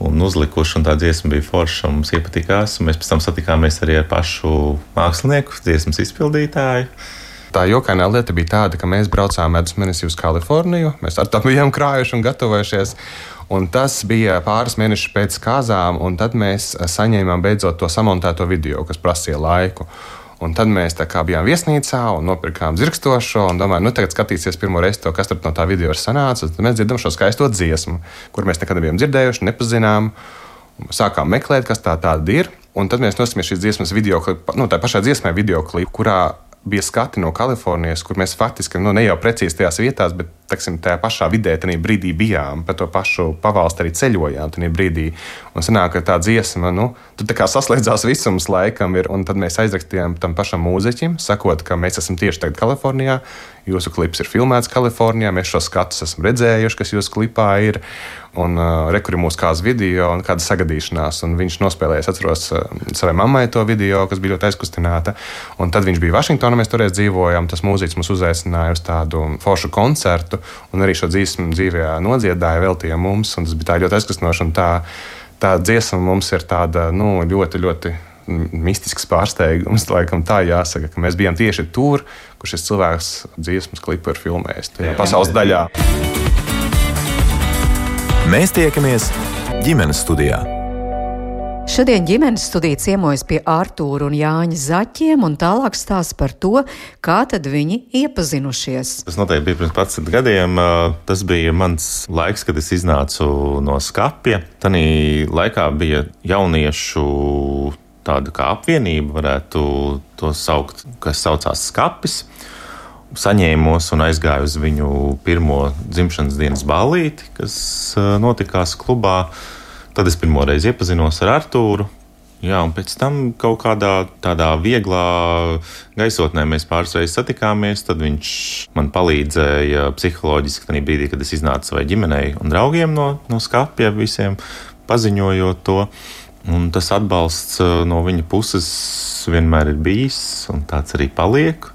un uzlikuši, un tā dziesma bija forša, un mums iepatikās. Mēs pēc tam satikāmies arī ar pašu mākslinieku, dziesmas izpildītāju. Tā jokainā lieta bija tāda, ka mēs braucām medus mēnesī uz Kaliforniju. Mēs ar to bijām krājuši un gatavojušies. Un tas bija pāris mēnešus pēc kāzām, un tad mēs saņēmām beidzot to samontēto video, kas prasīja laiku. Un tad mēs tā kā bijām viesnīcā un nopirkām dzirkstošo un domājām, nu tagad skatīsies pirmo reizi to, kas tur no tā video ir sanācis. Tad mēs dzirdam šo skaisto dziesmu, kur mēs nekad nebijām dzirdējuši, nepazinām. Sākām meklēt, kas tā tāda ir. Un tad mēs noskatāmies šīs dziesmas video klipu, nu tā pašā dziesmē video klipu, kurā bija skati no Kalifornijas, kur mēs faktiski, nu ne jau precīzi tajās vietās, bet, teksim, tajā pašā vidē tajā brīdī bijām, pa to pašu pavalsti arī ceļojām tajā brīdī. Un sanāk, ka tā dziesma, nu, tur tā kā saslēdzās visums laikam ir, un tad mēs aizrakstījām tam pašam mūziķim, sakot, ka mēs esam tieši tagad Kalifornijā, jūsu klips ir filmēts Kalifornijā, mēs šo skatus esam redzējuši, kas jūsu klipā ir, un uh, rekur ir mūsu kāds video un kāda sagadīšanās, un viņš nospēlēja, es atceros, uh, savai mammai to video, kas bija ļoti aizkustināta, un tad viņš bija Vašingtonā, mēs toreiz dzīvojām, tas mūziķis mums uzaicināja uz tādu foršu koncertu, un arī šo dziesmu dzīvē nodziedāja, veltīja mums, un tas bija tā ļoti aizkustinoši, un tā, tā dziesma mums ir tāda, nu, ļoti, ļoti mistisks pārsteigums, laikam tā jāsaka, ka mēs bijām tieši tur, kur šis cilvēks dziesmas klipu ir filmējis, tajā pasaules daļā. Mēs tiekamies ģimenes studijā. Šodien ģimenes studija ciemojas pie Artūra un Jāņa Zaķiem un tālāk stāsta par to, kā tad viņi iepazinušies. Tas noteikti bija pirms padsmit gadiem. Tas bija mans laiks, kad es iznācu no skapja. Tanī laikā bija jauniešu tāda kā apvienība, varētu to saukt, kas saucās Skapis. Saņēmos un aizgāju uz viņu pirmo dzimšanas dienas ballīti, kas notikās klubā. Tad es pirmo reizi iepazinos ar Artūru. Jā, un pēc tam kaut kādā tādā vieglā gaisotnē mēs pāris reizes satikāmies. Tad viņš man palīdzēja psiholoģiski tajā brīdī, kad es iznācu savai ģimenei un draugiem no, no Skapja, visiem paziņojot to. Un tas atbalsts no viņa puses vienmēr ir bijis, un tāds arī paliek.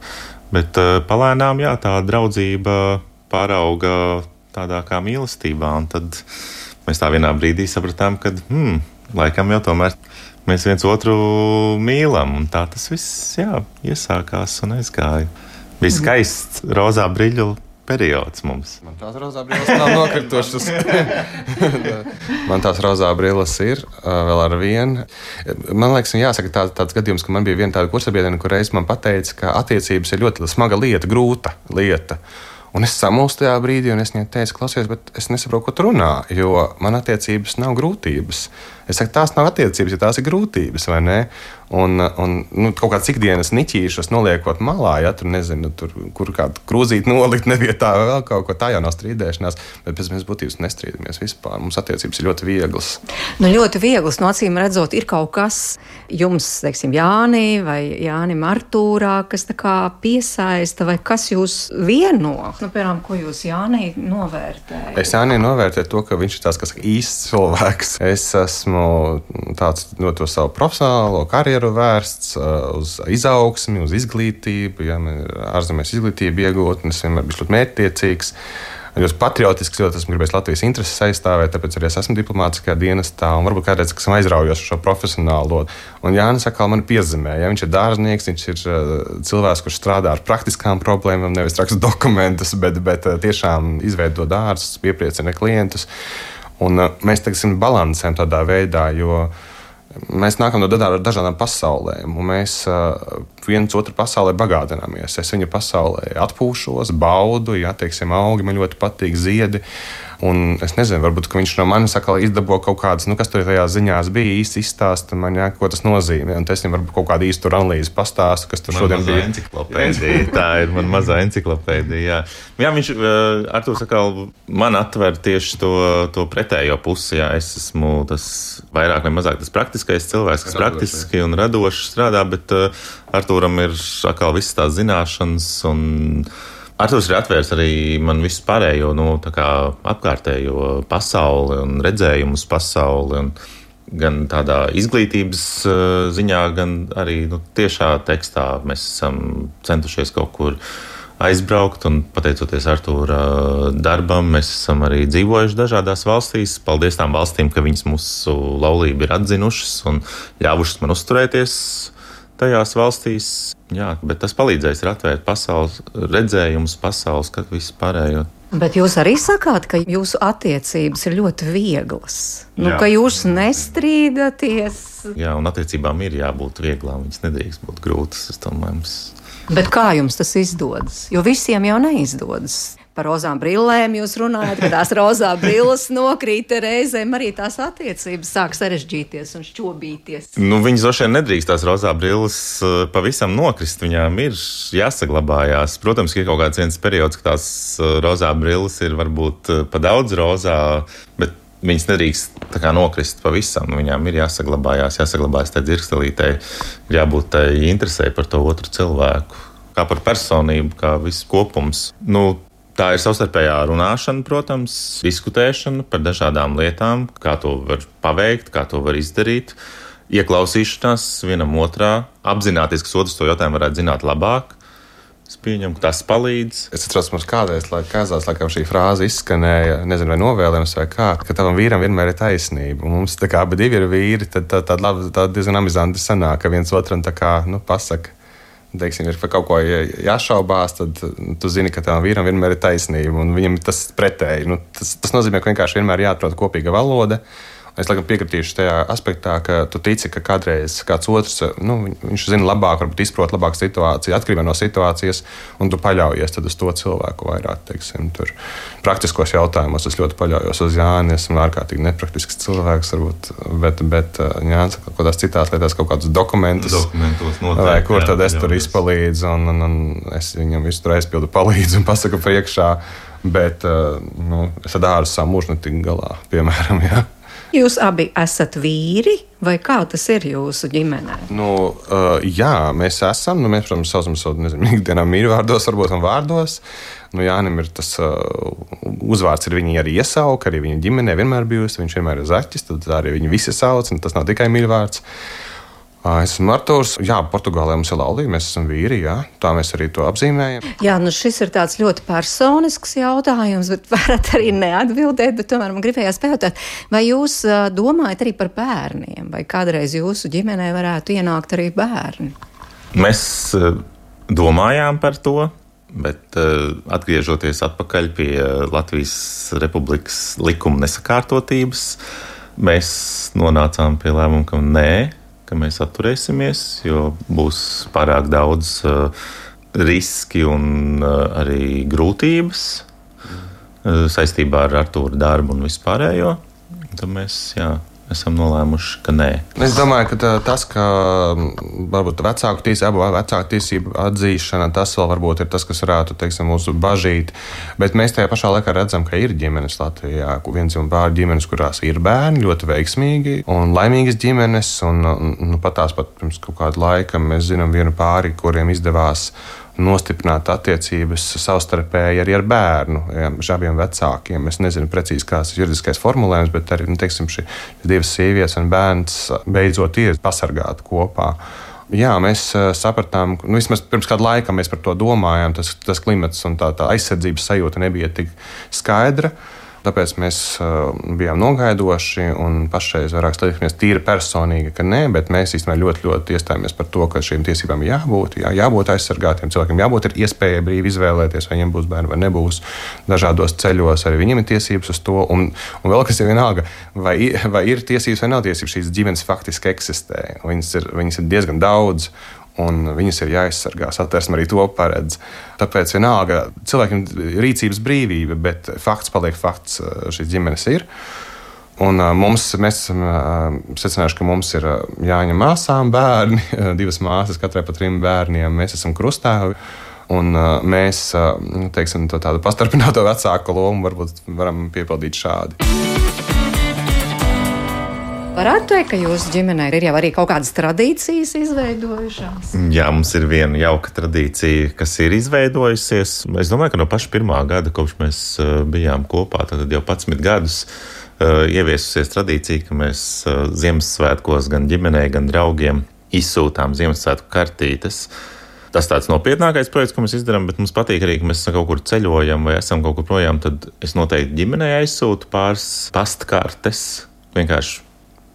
Bet palēnām, jā, tā draudzība pārauga tādā kā mīlestībā. Un tad mēs tā vienā brīdī sapratām, ka, hmm, laikam jau tomēr mēs viens otru mīlam. Un tā tas viss, jā, iesākās un aizgāja. Bija skaists rozā briļu periods mums. Man tās rozā brilles nav nokritušas. Man tās rozā brilles ir vēl ar vienu. Man liekas, jāsaka tā, tāds gadījums, ka man bija viena tāda kursabiedrene, kur reiz man pateica, ka attiecības ir ļoti smaga lieta, grūta lieta. Un es samulstu tajā brīdī, un es viņai teicu, klausies, bet es nesaprotu, ko tu runā, jo man attiecības nav grūtības. Es saku, tās nav attiecības, ja tās ir grūtības, vai ne? Un, un nu, kaut kāds ikdienas niķīšas noliekot malā, ja tur nezinu, tur, kur kādu krūzīti nolikt nevietā, vēl kaut ko, tā jau nav strīdēšanās, bet pēc mēs būtības nestrīdamies vispār. Mums attiecības ir ļoti vieglas. Nu, ļoti vieglas, no acīm redzot, ir kaut kas jums, teiksim, Jāni vai Jānim Artūrā, kas tā kā piesaista, vai kas jūs vieno? Nu, piemēram, ko jūs Jānī novērtējat? Es Jānī novērtēju to, ka viņš ir tāds, kas īsts cilvēks. Es esmu tāds no to savu profesionālo karjeru vērsts uz izaugsmi, uz izglītību. Ja, man ir ārzemēs izglītība iegūt, un es vienmēr biju ļoti mērķtiecīgs. Ļoti patriotisks, ļoti esmu gribējis Latvijas intereses aizstāvēt, tāpēc arī es esmu diplomātiskajā dienestā un varbūt kādreiz, ka esmu aizraujos šo profesionālo. Un Jānis atkal mani piezemē. Ja, viņš ir dārznieks, viņš ir cilvēks, kurš strādā ar praktiskām problēmām, nevis raksta dokumentus, bet, bet tiešām izveido dārzus, piepriecina klientus. Un mēs teiksim, balansējam tādā veidā, jo mēs nākam no dažādām pasaulēm, un mēs viens otru pasaulē bagātināmies. Es viņa pasaulē atpūšos, baudu, ja, teiksim, augi man ļoti patīk, ziedi. Un es nezinu, varbūt viņš no manis atkal izdabo kaut kādas, nu, kas tur tajā ziņās bija, īsti izstāsta man, jā, ko tas nozīmē. Un es viņam varbūt kaut kādu īstu analīzi pastāstu, kas tur man šodien bija. Enciklopēdija. Tā ir man mazā enciklopēdija. Jā, jā viņš, Artūrs, atkal man atver tieši to, to pretējo pusi. Jā, es esmu tas vairāk vai mazāk tas praktiskais cilvēks, kas praktiski un radoši strādā, bet uh, Artūram ir atkal visas tās zināšanas un Artūrs ir atvērs arī man visu pārējo, nu, tā kā apkārtējo pasauli un redzējumus pasauli, un gan tādā izglītības ziņā, gan arī nu, tiešā tekstā mēs esam centušies kaut kur aizbraukt, un pateicoties Artūra darbam, mēs esam arī dzīvojuši dažādās valstīs. Paldies tām valstīm, ka viņas mūsu laulību ir atzinušas un ļāvušas man uzturēties tajās valstīs. Jā, bet tas palīdzēs ir atvērt pasaules redzējumus, pasaules, kad viss pārējo. Bet jūs arī sakāt, ka jūsu attiecības ir ļoti vieglas. Nu, Jā. Ka jūs nestrīdaties. Jā, un attiecībām ir jābūt vieglām, viņas nedrīkst būt grūtas, es domāju, mums. Bet kā jums tas izdodas? Jo visiem jau neizdodas. Par rozām brillēm jūs runājat, ka tās rozā brilles nokrīt, reizēm arī tās attiecības sāk sarežģīties un šķobīties. Nu, viņas droši vien nedrīkst tās rozā brilles pavisam nokrist, viņām ir jāsaglabājās. Protams, ka ir kaut kāds viens periods, ka tās rozā brilles ir varbūt pa daudz rozā, bet viņas nedrīkst tā kā nokrist pavisam. Viņām ir jāsaglabājās, jāsaglabājas tai dzirkstelītei, jābūt tai interesē par to otru cilvēku, kā par personību, kā viss kopums. Nu, tā ir savstarpējā runāšana, protams, diskutēšana par dažādām lietām, kā to var paveikt, kā to var izdarīt, ieklausīšanās vienam otrā, apzināties, ka otrs to jautājumu varētu zināt labāk. Es pieņemu, ka tas palīdz. Es atceros, mums kādreiz, lai kāzās, laikam šī frāze izskanēja, nezinu, vai novēlējums vai kā, ka tavam vīram vienmēr ir taisnība. Un mums tā kā abi divi ir vīri, tad tā, tā, tā, tā diezgan amizanti sanāk, ka viens otram tā kā, nu, pasaka. Teiksim, ir par kaut ko jāšaubās, tad tu zini, ka tavam vīram vienmēr ir taisnība, un viņam tas pretēji. Nu, tas, tas nozīmē, ka vienkārši vienmēr jāatrod kopīga valoda. Es laikam piekritīšu tajā aspektā, ka tu tici, ka kādreiz kāds otrs, nu, viņš zina labāk, varbūt izprot labāk situāciju, atkarībā no situācijas, un tu paļaujies tad uz to cilvēku vairāk, teiksim, tur praktiskos jautājumos. Es ļoti paļaujos uz Jāni, esmu ārkārtīgi nepraktisks cilvēks, varbūt, bet, bet Jānis kaut kādās citās lietās kaut kādus dokumentus, noteikti, vai kur tad jā, es tur izpalīdzu, un, un, un es viņam visu tur aizpildu palīdzu un pasaku priekšā, bet, nu, es ar dārzu savu mūžu netik galā, piemēram, jā. Jūs abi esat vīri, vai kā tas ir jūsu ģimenē? Nu, uh, jā, mēs esam. Nu, mēs, protams, saucam savu, nezinu, ikdienā mīļvārdos, varbūt un vārdos. Nu, Jānim ir tas uh, uzvārds, ir viņi arī iesauka, arī viņa ģimenē vienmēr bijusi. Viņš vienmēr ir Zaķis, tad arī viņi visi sauc, un tas nav tikai mīļvārds. Es esmu Artūrs. Jā, Portugālē mums ir laulība, mēs esam vīri, jā. Tā mēs arī to apzīmējam. Jā, nu šis ir tāds ļoti personisks jautājums, bet varat arī neatbildēt, bet tomēr man gribējās pajautāt, vai jūs domājat arī par bērniem, vai kādreiz jūsu ģimenē varētu ienākt arī bērni? Mēs domājām par to, bet atgriežoties atpakaļ pie Latvijas Republikas likuma nesakārtotības, mēs nonācām pie lēmuma, ka nē, ka mēs atturēsimies, jo būs pārāk daudz uh, riski un uh, arī grūtības uh, saistībā ar Artūra darbu un vispārējo. Tad mēs, jā, esam nolēmuši, ka nē. Es domāju, ka tā, tas, ka varbūt vecāku tiesību, abu vecāku tiesību atzīšana, tas vēl varbūt ir tas, kas varētu, teiksim, mūsu bažīt. Bet mēs tajā pašā laikā redzam, ka ir ģimenes Latvijā, viens un pār ģimenes, kurās ir bērni ļoti veiksmīgi un laimīgas ģimenes. Un, nu, pat tās pat pirms kaut kāda laika mēs zinām vienu pāri, kuriem izdevās nostiprināt attiecības savstarpēji arī ar bērnu, ja, abiem vecākiem. Es nezinu precīzi, kāds ir juridiskais formulējums, bet arī, nu, teiksim, šī divas sievietes un bērns beidzot ir pasargāti kopā. Jā, mēs sapratām, nu, vismaz pirms kādu laiku mēs par to domājām, tas, tas klimats un tā, tā aizsardzības sajūta nebija tik skaidra. Tāpēc mēs uh, bijām nogaidoši un pašreiz vairāk slēdzamies tīri personīgi, ka nē, bet mēs īstenībā ļoti, ļoti iestājāmies par to, ka šīm tiesībām jābūt, jā, jābūt aizsargātiem cilvēkiem, jābūt ir iespēja brīvi izvēlēties, vai viņiem būs bērni vai nebūs dažādos ceļos, arī viņiem ir tiesības uz to. Un, un vēl kas ir vienalga, vai, vai ir tiesības vai nav tiesības, šīs ģimenes faktiski eksistē. Viņas ir, viņas ir diezgan daudz. un viņas ir jāaizsargā. Satversme arī to paredz. Tāpēc vienalga cilvēkiem ir rīcības brīvība, bet fakts paliek fakts, šīs ģimenes ir. Un mums, mēs esam secinājuši, ka mums ir jāņem māsām bērni, divas māsas, katrai pa trim bērniem. Mēs esam krustāvi, un mēs, teiksim, to tādu pastarpināto vecāku lomu varbūt varam piepildīt šādi. Varētu teikt, ka jūsu ģimenē ir jau arī kaut kādas tradīcijas izveidojušās? Jā, mums ir viena jauka tradīcija, kas ir izveidojusies. Es domāju, ka no paša pirmā gada, kopš mēs bijām kopā, tad jau padsmit gadus, ieviesusies tradīcija, ka mēs Ziemassvētkos gan ģimenei, gan draugiem izsūtām Ziemassvētku kartītes. Tas tāds nopietnākais projekts, ko mēs izdarām, bet mums patīk arī, ka mēs kaut kur ceļojam vai esam kaut kur projām, tad es noteikti ģimenei aizsūtu pāris pastkartes. Vienkārši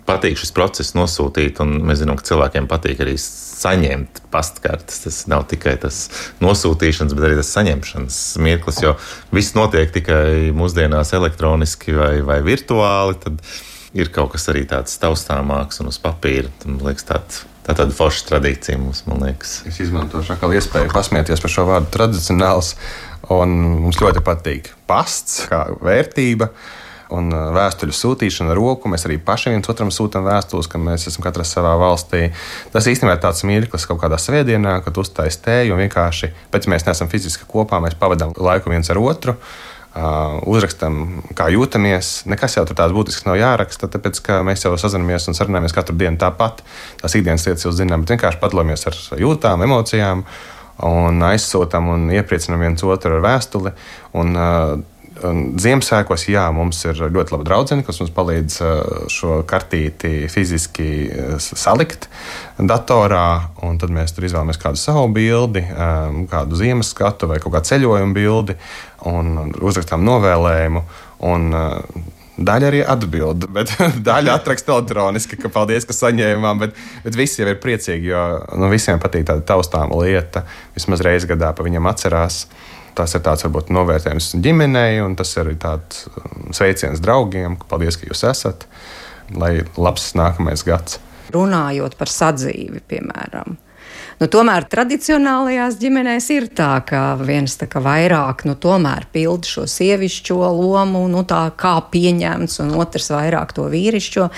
patīk šis process nosūtīt, un mēs zinām, ka cilvēkiem patīk arī saņemt pastkartes. Tas nav tikai tas nosūtīšanas, bet arī tas saņemšanas mirklis, jo viss notiek tikai mūsdienās elektroniski vai, vai virtuāli, tad ir kaut kas arī tāds taustāmāks un uz papīra. Man liekas, tāda, tā tāda forša tradīcija mums, man liekas. Es izmantošu atkal iespēju pasmieties par šo vārdu tradicionāls, un mums ļoti patīk pasts kā vērtība. Un vēstuļu sūtīšana ar roku. Mēs arī paši viens otram sūtām vēstules, ka mēs esam katrs savā valstī. Tas īstenībā ir tāds mirklis kaut kādā svētdienā, kad uztais tēju un vienkārši, pēc mēs neesam fiziski kopā, mēs pavadām laiku viens ar otru, uh, uzrakstam, kā jūtamies. Nekas jau tur tāds būtisks nav jāraksta, tāpēc, ka mēs jau sazinamies un sarunājamies katru dienu tāpat. Tās ikdienas lietas jau zinām, bet vienkārši padalāmies ar jūtām, emocijām un aizsūtām un iepriecinām viens otru ar vēstuli. Un, uh, Ziemassvētkos, jā, mums ir ļoti laba draudzene, kas mums palīdz šo kartīti fiziski salikt datorā, un tad mēs tur izvēlamies kādu savu bildi, kādu ziemas skatu vai kaut kādu ceļojumu bildi, un uzrakstām novēlējumu, un daļa arī atbild, bet daļa atraksta elektroniski, ka paldies, ka saņēmām, bet, bet visi jau ir priecīgi, jo nu, visiem patīk tāda taustāma lieta, vismaz reizi gadā pa viņam atcerās. Tas ir tāds, varbūt, novērtējums ģimenei, un tas ir tāds sveiciens draugiem, ka paldies, ka jūs esat, lai labs nākamais gads. Runājot par sadzīvi, piemēram. Nu, tomēr tradicionālajās ģimenēs ir tā, ka viens tā kā vairāk, nu, tomēr pilda šo sievišķo lomu, nu, tā kā pieņemts, un otrs vairāk to vīrišķo.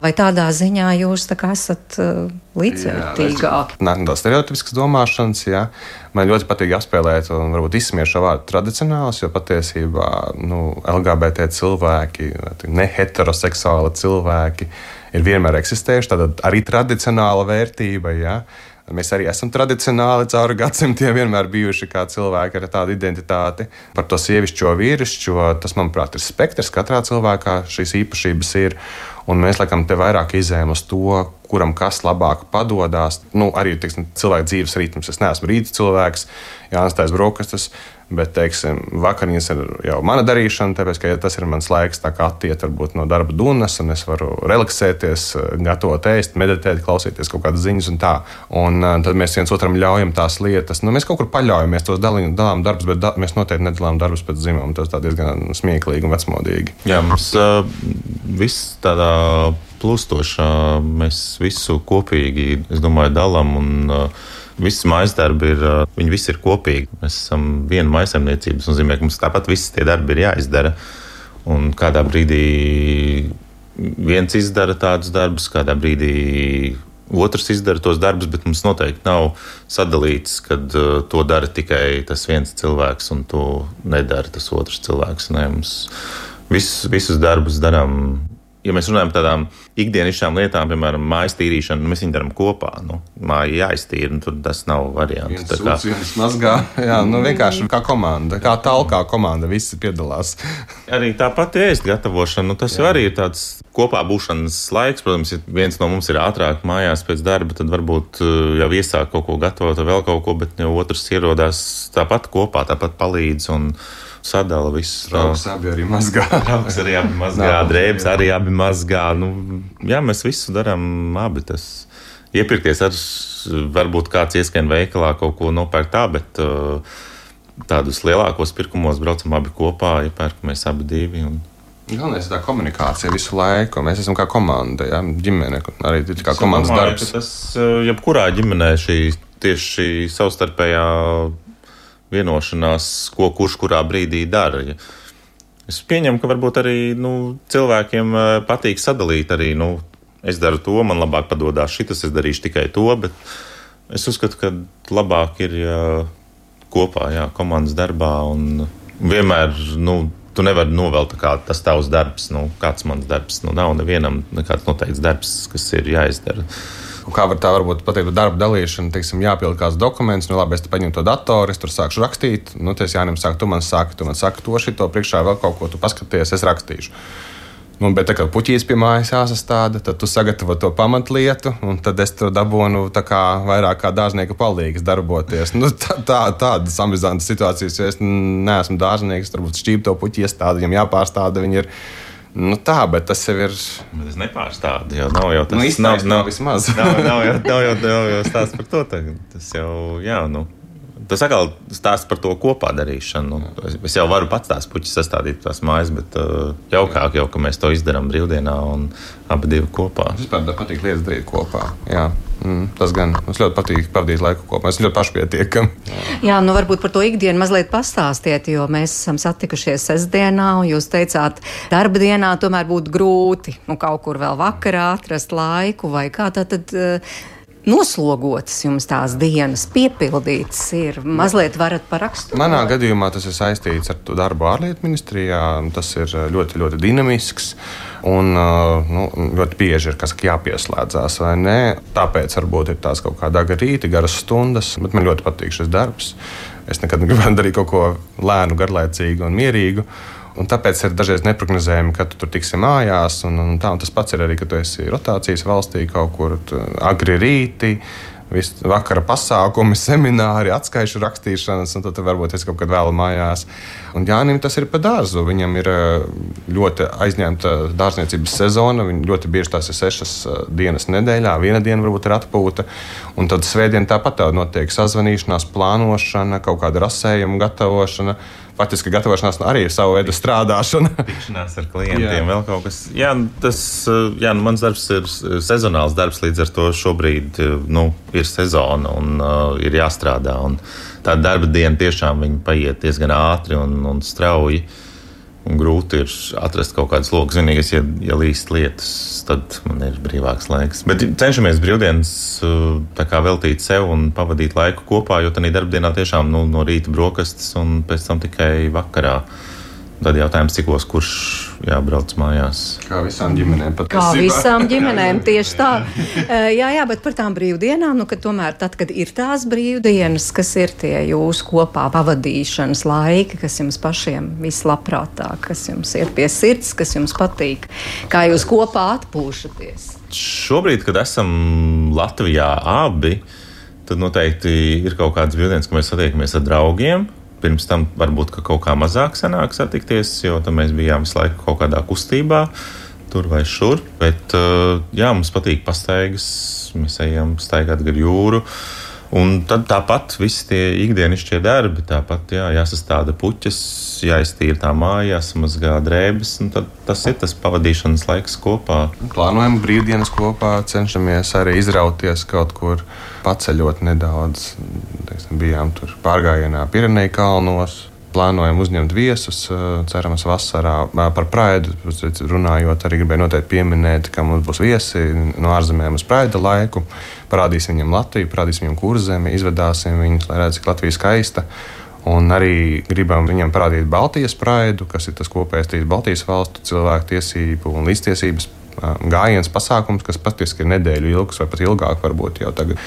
Vai tādā ziņā jūs tā kā esat uh, līdzvērtīgāki? Nē, tas stereotipisks domāšanas, jā. Man ļoti patīk apspēlēt un varbūt izsmiet šo vārdu tradicionāls, jo patiesībā, nu, L G B T cilvēki, neheteroseksuāli cilvēki ir vienmēr eksistējuši, tātad arī tradicionāla vērtība, jā. Mēs arī esam tradicionāli cauri gadsimtiem vienmēr bijuši kā cilvēki ar tādu identitāti. Par to sievišķo, vīrišķo, tas, manuprāt, ir spektrs. Katrā cilvēkā šīs īpašības ir. Un mēs, laikam, te vairāk izējam uz to, kuram kas labāk padodās. Nu, arī, teiksim, cilvēka dzīves ritms. Es neesmu rīta cilvēks, jānestais brokastis, bet, teiksim, vakariņas ir jau mana darīšana, tāpēc, ka tas ir mans laiks tā kā attiet varbūt no darba dunas, un es varu relaksēties, gatavot ēst, meditēt, klausīties kaut kādas ziņas un tā. Un tad mēs viens otram ļaujam tās lietas. Nu, mēs kaut kur paļaujamies, tos dalījam, dalām darbus, bet da, mēs noteikti nedalām darbus pēc dzimuma. Tas tā diezgan smieklīgi un vecmodīgi. Jā, mums uh, viss tādā plūstošā, mēs visu kopīgi, es domāju, dalām un uh, visi mājasdarbi ir, viņi visi ir kopīgi. Mēs esam viena mājsaimniecības, un nozīmē, ka mums tāpat visi tie darbi ir jāizdara. Un kādā brīdī viens izdara tādus darbus, kādā brīdī otrs izdara tos darbus, bet mums noteikti nav sadalīts, kad to dara tikai tas viens cilvēks, un to nedara tas otrs cilvēks. Nē, mums visus, visus darbus darām. Ja mēs runājam par tādām ikdienišķām lietām, piemēram, mājas tīrīšanu, mēs viņu darām kopā. Nu, māja jāiztīra, un tur tas nav variants. Viens sūds, viens mazgā. Jā, nu vienkārši kā komanda, kā talkā komanda, visi piedalās. Arī tāpat ēst gatavošana, nu tas jau arī ir tāds kopā būšanas laiks. Protams, ja viens no mums ir ātrāk mājās pēc darba, tad varbūt jau iesāk kaut ko gatavot vai vēl kaut ko, bet jau otrs ierodās tāpat kopā, tāpat palīdz un sadala visus. Trauks abi arī mazgā. Trauks arī abi mazgā, drēbes arī abi mazgā. Nu, jā, mēs visu darām abi. Tas iepirkties ar, varbūt kāds ieskrien veikalā kaut ko nopērk tā, bet uh, tādus lielākos pirkumos braucam abi kopā, iepērkamies abi divi. Un... Galvenais ir tā komunikācija visu laiku. Mēs esam kā komanda, jā, ģimene, arī kā komandas domāju, darbs. Tas, jebkurā ģimenē šī tieši savstarpējā vienošanās, ko kurš kurā brīdī dara. Es pieņemu, ka varbūt arī nu, cilvēkiem patīk sadalīt arī, nu, es daru to, man labāk padodās šitas, es darīšu tikai to, bet es uzskatu, ka labāk ir jā, kopā, jā, komandas darbā un vienmēr, nu, tu nevari novelt kā tas tavs darbs, nu, kāds mans darbs, nu, nav nevienam nekāds noteikts darbs, kas ir jāizdara. Un kā var tā varbūt pateikt par darba dalīšanu, teiksim, jāpild kāds dokuments, nu labi, es te paņemu to datoru, es tur sākšu rakstīt, nu, ties Jānim saka, tu man saki, tu man saki to šito, priekšā vēl kaut ko, tu paskaties, es rakstīšu. Nu, bet tā kā puķīs pie mājas jāsastāda, tad tu sagatavo to pamatlietu, un tad es to dabūnu tā kā vairāk kā dārznieka palīgs darboties. Nu, tā, tā, tādas amizantas situācijas, jo es neesmu dārznieks, varbūt šķīp to puķi iestādi, viņam jāpārstāda, viņi ir, nu tā, bet tas jau ir... Bet es nepārstādu, jo nav jau tas... Nu, izstāst nav, nav vismaz. Nav, nav, jau, nav, jau, nav jau stāsts par to tagad, tas jau, jā, nu... Tas atkal stāsts par to kopā darīšanu. Es jau varu pats tās puķis sastādīt tās mājas, bet uh, jaukāk jau, ka mēs to izdarām brīvdienā un abi divi kopā. Es vispār patīk lietas darīt kopā. Jā, mm, tas gan. Mums ļoti patīk pavadīt laiku kopā. Mēs ļoti pašpietiekami. Jā, nu varbūt par to ikdienu mazliet pastāstiet, jo mēs esam satikušies sestdienā, un jūs teicāt, darba dienā tomēr būtu grūti, nu kaut kur vēl vakarā atrast laiku, vai kā tā tad... Uh, noslogotas jums tās dienas, piepildītas ir. Mazliet varat paraksturot? Manā gadījumā tas ir saistīts ar darbu ārlietu ministrijā. Tas ir ļoti, ļoti dinamisks un nu, ļoti bieži ir kas jāpieslēdzās, vai ne? Tāpēc varbūt ir tās kaut kāda rīta, garas stundas, bet man ļoti patīk šis darbs. Es nekad negribētu darīt kaut ko lēnu, garlaicīgu un mierīgu. Un tāpēc ir dažreiz neprognozējami, kad tu tur tiksi mājās. Un, un tā, un tas pats ir arī, kad tu esi rotācijas valstī kaut kur agri rīti, visu vakara pasākumi, semināri, atskaišu rakstīšanas, un tad varbūt es kaut kad vēlu mājās. Un Jānim tas ir pa dārzu. Viņam ir ļoti aizņemta dārzniecības sezona. Viņa ļoti bieži tās ir sešas dienas nedēļā. Viena diena varbūt ir atpūta. Un tad svētdien tāpat tā notiek sazvanīšanās, plānošana, kaut kāda rasējuma gatavošana. Faktiski gatavošanās arī ir savu veidu strādāšana. Tikšanās ar klientiem, jā. Vēl kaut kas. Jā, tas, jā, nu, mans darbs ir sezonāls darbs, līdz ar to šobrīd nu, ir sezona un uh, ir jāstrādā. Un tā darba diena tiešām viņa paiet diezgan ātri un, un strauji. Un grūti ir atrast kaut kādas lokas. Vienīgais, ja, ja līst lietas, tad man ir brīvāks laiks. Bet cenšamies brīvdienas tā kā veltīt sev un pavadīt laiku kopā, jo tādā darbdienā tiešām nu, no rīta brokastis un pēc tam tikai vakarā. Tad jautājums, cikos kurš jābrauc mājās. Kā visām ģimenēm patiesībā. Kā visām ģimenēm, tieši tā. Jā, jā, bet par tām brīvdienām, nu, ka tomēr tad, kad ir tās brīvdienas, kas ir tie jūsu kopā pavadīšanas laiki, kas jums pašiem vislabprātāk, kas jums iet pie sirds, kas jums patīk, kā jūs kopā atpūšaties? Šobrīd, kad esam Latvijā abi, tad noteikti ir kaut kādas brīvdienas, ka mēs satiekamies ar draugiem. Pirms tam varbūt ka kaut kā mazāk sanāk satikties, jo tam mēs bijām visu laiku kaut kādā kustībā, tur vai šur. Bet jā, mums patīk pastaigas, mēs ejam staigāt gar jūru. Un tad tāpat visi tie ikdienišķie darbi, tāpat jā, jāsastāda puķes, jāiztīra tā māja, jāsamazgā drēbes, un tad tas ir tas pavadīšanas laiks kopā. Plānojam brīvdienas kopā, cenšamies arī izrauties kaut kur, paceļot nedaudz. Teiksim, bijām tur pārgājienā Pireneju kalnos. Plānojam uzņemt viesus, cerams, vasarā. Par Praidu runājot, arī gribēju noteikti pieminēt, ka mums būs viesi no ārzemēm uz Praida laiku. Parādīsim viņam Latviju, parādīsim viņam Kurzemi, izvedāsim viņus, lai redz, cik Latvija skaista. Un arī gribam viņam parādīt Baltijas Praidu, kas ir tas kopējais trīs Baltijas valstu cilvēku tiesību un līdztiesības gājiens pasākums, kas patiesībā ir nedēļu ilgs vai pat ilgāk varbūt jau tagad.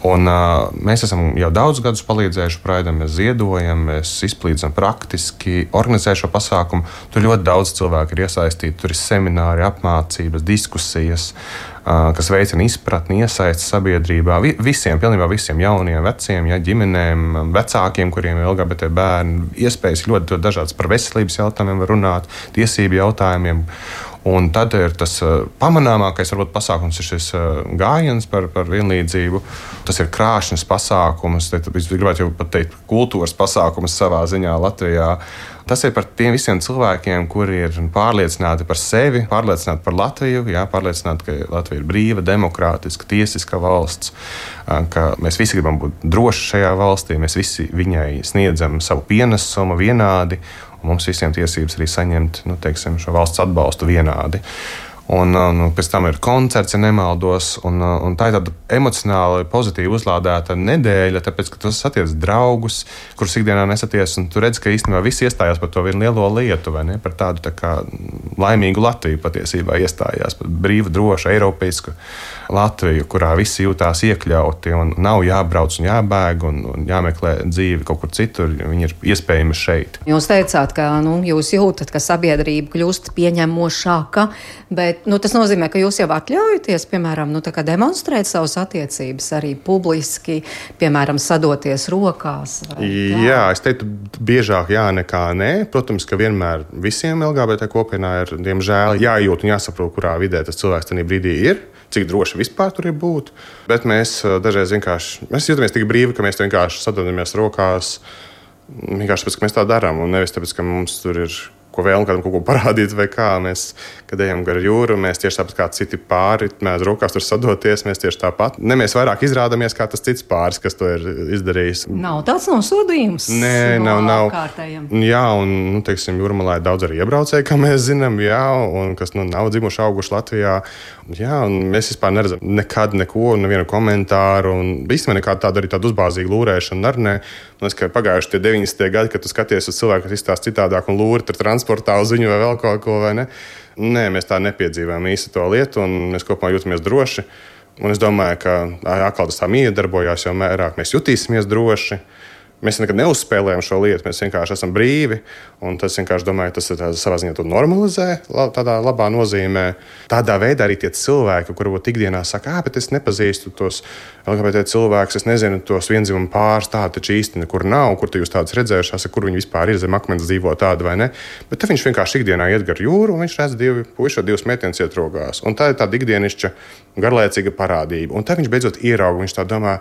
Un, uh, mēs esam jau daudz gadus palīdzējuši Praidam, mēs ziedojam, mēs izplīdzam praktiski, organizējam šo pasākumu. Tur ļoti daudz cilvēku ir iesaistīti, tur ir semināri, apmācības, diskusijas, uh, kas veicina izpratni, iesaisti sabiedrībā. Vi, visiem, pilnībā visiem jauniem, veciem, ja, ģimenēm, vecākiem, kuriem ir L G B T bērni, iespējas ļoti, ļoti dažādas par veselības jautājumiem runāt, tiesību jautājumiem. Un tad ir tas pamanāmākais varbūt, pasākums, ir šis gājiens par, par vienlīdzību. Tas ir krāšņs pasākums, es gribētu jau pat teikt, kultūras pasākums savā ziņā Latvijā. Tas ir par tiem visiem cilvēkiem, kuri ir pārliecināti par sevi, pārliecināti par Latviju, jā, pārliecināti, ka Latvija ir brīva, demokrātiska, tiesiska valsts, ka mēs visi gribam būt droši šajā valstī, mēs visi viņai sniedzam savu pienesumu vienādi, un mums visiem tiesības arī saņemt, nu, teiksim, šo valsts atbalstu vienādi. Un, un pēc tam ir koncerts, ja nemaldos, un, un tā ir tāda emocionāli pozitīvi uzlādēta nedēļa, tāpēc, ka tu satiec draugus, kurus ikdienā nesaties, un tu redz, ka īstenībā visi iestājās par to vienu lielo lietu, vai ne, par tādu tā kā laimīgu Latviju patiesībā iestājās, par brīvu, drošu, eiropeisku Latviju, kurā visi jūtās iekļauti, un nav jābrauc un jābēg, un, un jāmeklē dzīvi kaut kur citur, viņi ir iespējami šeit. Jūs teicāt, ka nu, jūs jūtat, ka sabiedrība kļūst pieņemošāka, bet nu, tas nozīmē, ka jūs jau atļaujaties, piemēram, nu, tā kā demonstrēt savas attiecības arī publiski, piemēram, sadoties rokās? Jā, es teiktu, biežāk jā nekā nē. Protams, ka vienmēr visiem L G B T kopienā ir, diemžēl, jājūt un jāsaprot, kurā vidē tas cilvēks tajā brīdī ir, cik droši vispār tur ir būt. Bet mēs dažreiz vienkārši, mēs jūtamies tik brīvi, ka mēs vienkārši sadodamies rokās, vienkārši tāpēc, ka mēs tā darām, un nevis tāpēc, ka mums tur ir ko vēlam kādam kaut ko parādīt vai kā. Mēs, kad ejam gar jūru, mēs tieši tāpat kā citi pāri, mēs rokās tur sadoties, mēs tieši tāpat. Ne mēs vairāk izrādamies kā tas cits pāris, kas to ir izdarījis. Nav tāds nosodījums. Nē, no nav, nav. Apkārtējiem. Jā, un, nu, teiksim, Jūrmalā ir daudz arī iebraucēji, kā mēs zinām, jā, un kas, nu, nav dzimuši auguši Latvijā. Jā, un mēs vispār neredzam nekad neko, nevienu komentāru, un īstenībā nekādu tādu arī tādu uzbāzīgu lūrēšanu ar ne. Man liekas, ka pagājuši tie deviņdesmitie gadi, kad tu skaties uz cilvēku, kas izstāsta citādāk un lūri tur transportā uz viņu vai vēl kaut ko, vai ne? Nē, mēs tā nepiedzīvājam īsti to lietu, un mēs kopumā jūtamies droši. Un es domāju, ka atkal tas tā iedarbojās jau mērāk, mēs jutīsimies droši. Mēs nekad neuzspēlējam šo lietu, mēs vienkārši esam brīvi. Un tas vienkārši, domāju, tas ir savā ziņā to normalizē, tādā labā nozīmē. Tādā veidā arī tie cilvēki, kuri varbūt ikdienā saka, ah, bet es nepazīstu tos L G B T cilvēkus, es nezinu tos viendzimumu pāris, tādi taču īsti nekur nav, kur tu jūs tādus redzējušās, kur viņi vispār ir zem akmens dzīvo tādi vai ne. Bet tad viņš vienkārši ikdienā iet gar jūru, un viņš redz divi puiši, divas meitenes iet rokās. Un tā ir tāda ikdienišķa, garlaicīga parādība. Un tad viņš beidzot ierauga, viņš tā domā,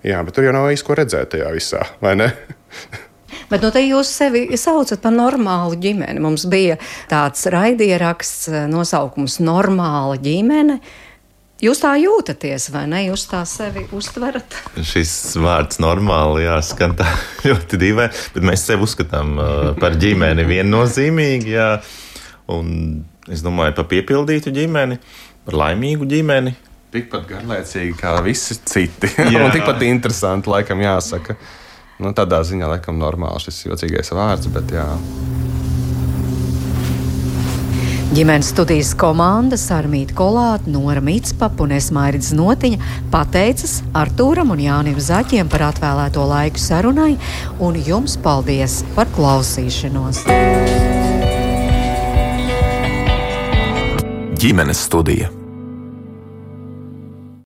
jā, bet tur jau nav īsti ko redzēt tajā visā, vai ne? Bet nu, te jūs sevi saucat par normālu ģimeni. Mums bija tāds raidieraksts nosaukums Normāla ģimene. Jūs tā jūtaties, vai ne? Jūs tā sevi uztverat? Šis vārds normāli, jā, skan tā ļoti dīvaini, bet mēs sevi uzskatām uh, par ģimeni viennozīmīgi, jā. Un es domāju par piepildītu ģimeni, par laimīgu ģimeni. Tikpat garlaicīgi kā visi citi. Un tikpat interesanti, laikam, jāsaka. Nu, tādā ziņā, laikam, normāli šis jocīgais vārds, bet jā. Ģimenes studijas komanda Sarmīta Kolāte, Nora Mitspapa un es Mairits Notiņa pateicas Artūram un Jānim Zaķiem par atvēlēto laiku sarunai, un jums paldies par klausīšanos. Ģimenes studija.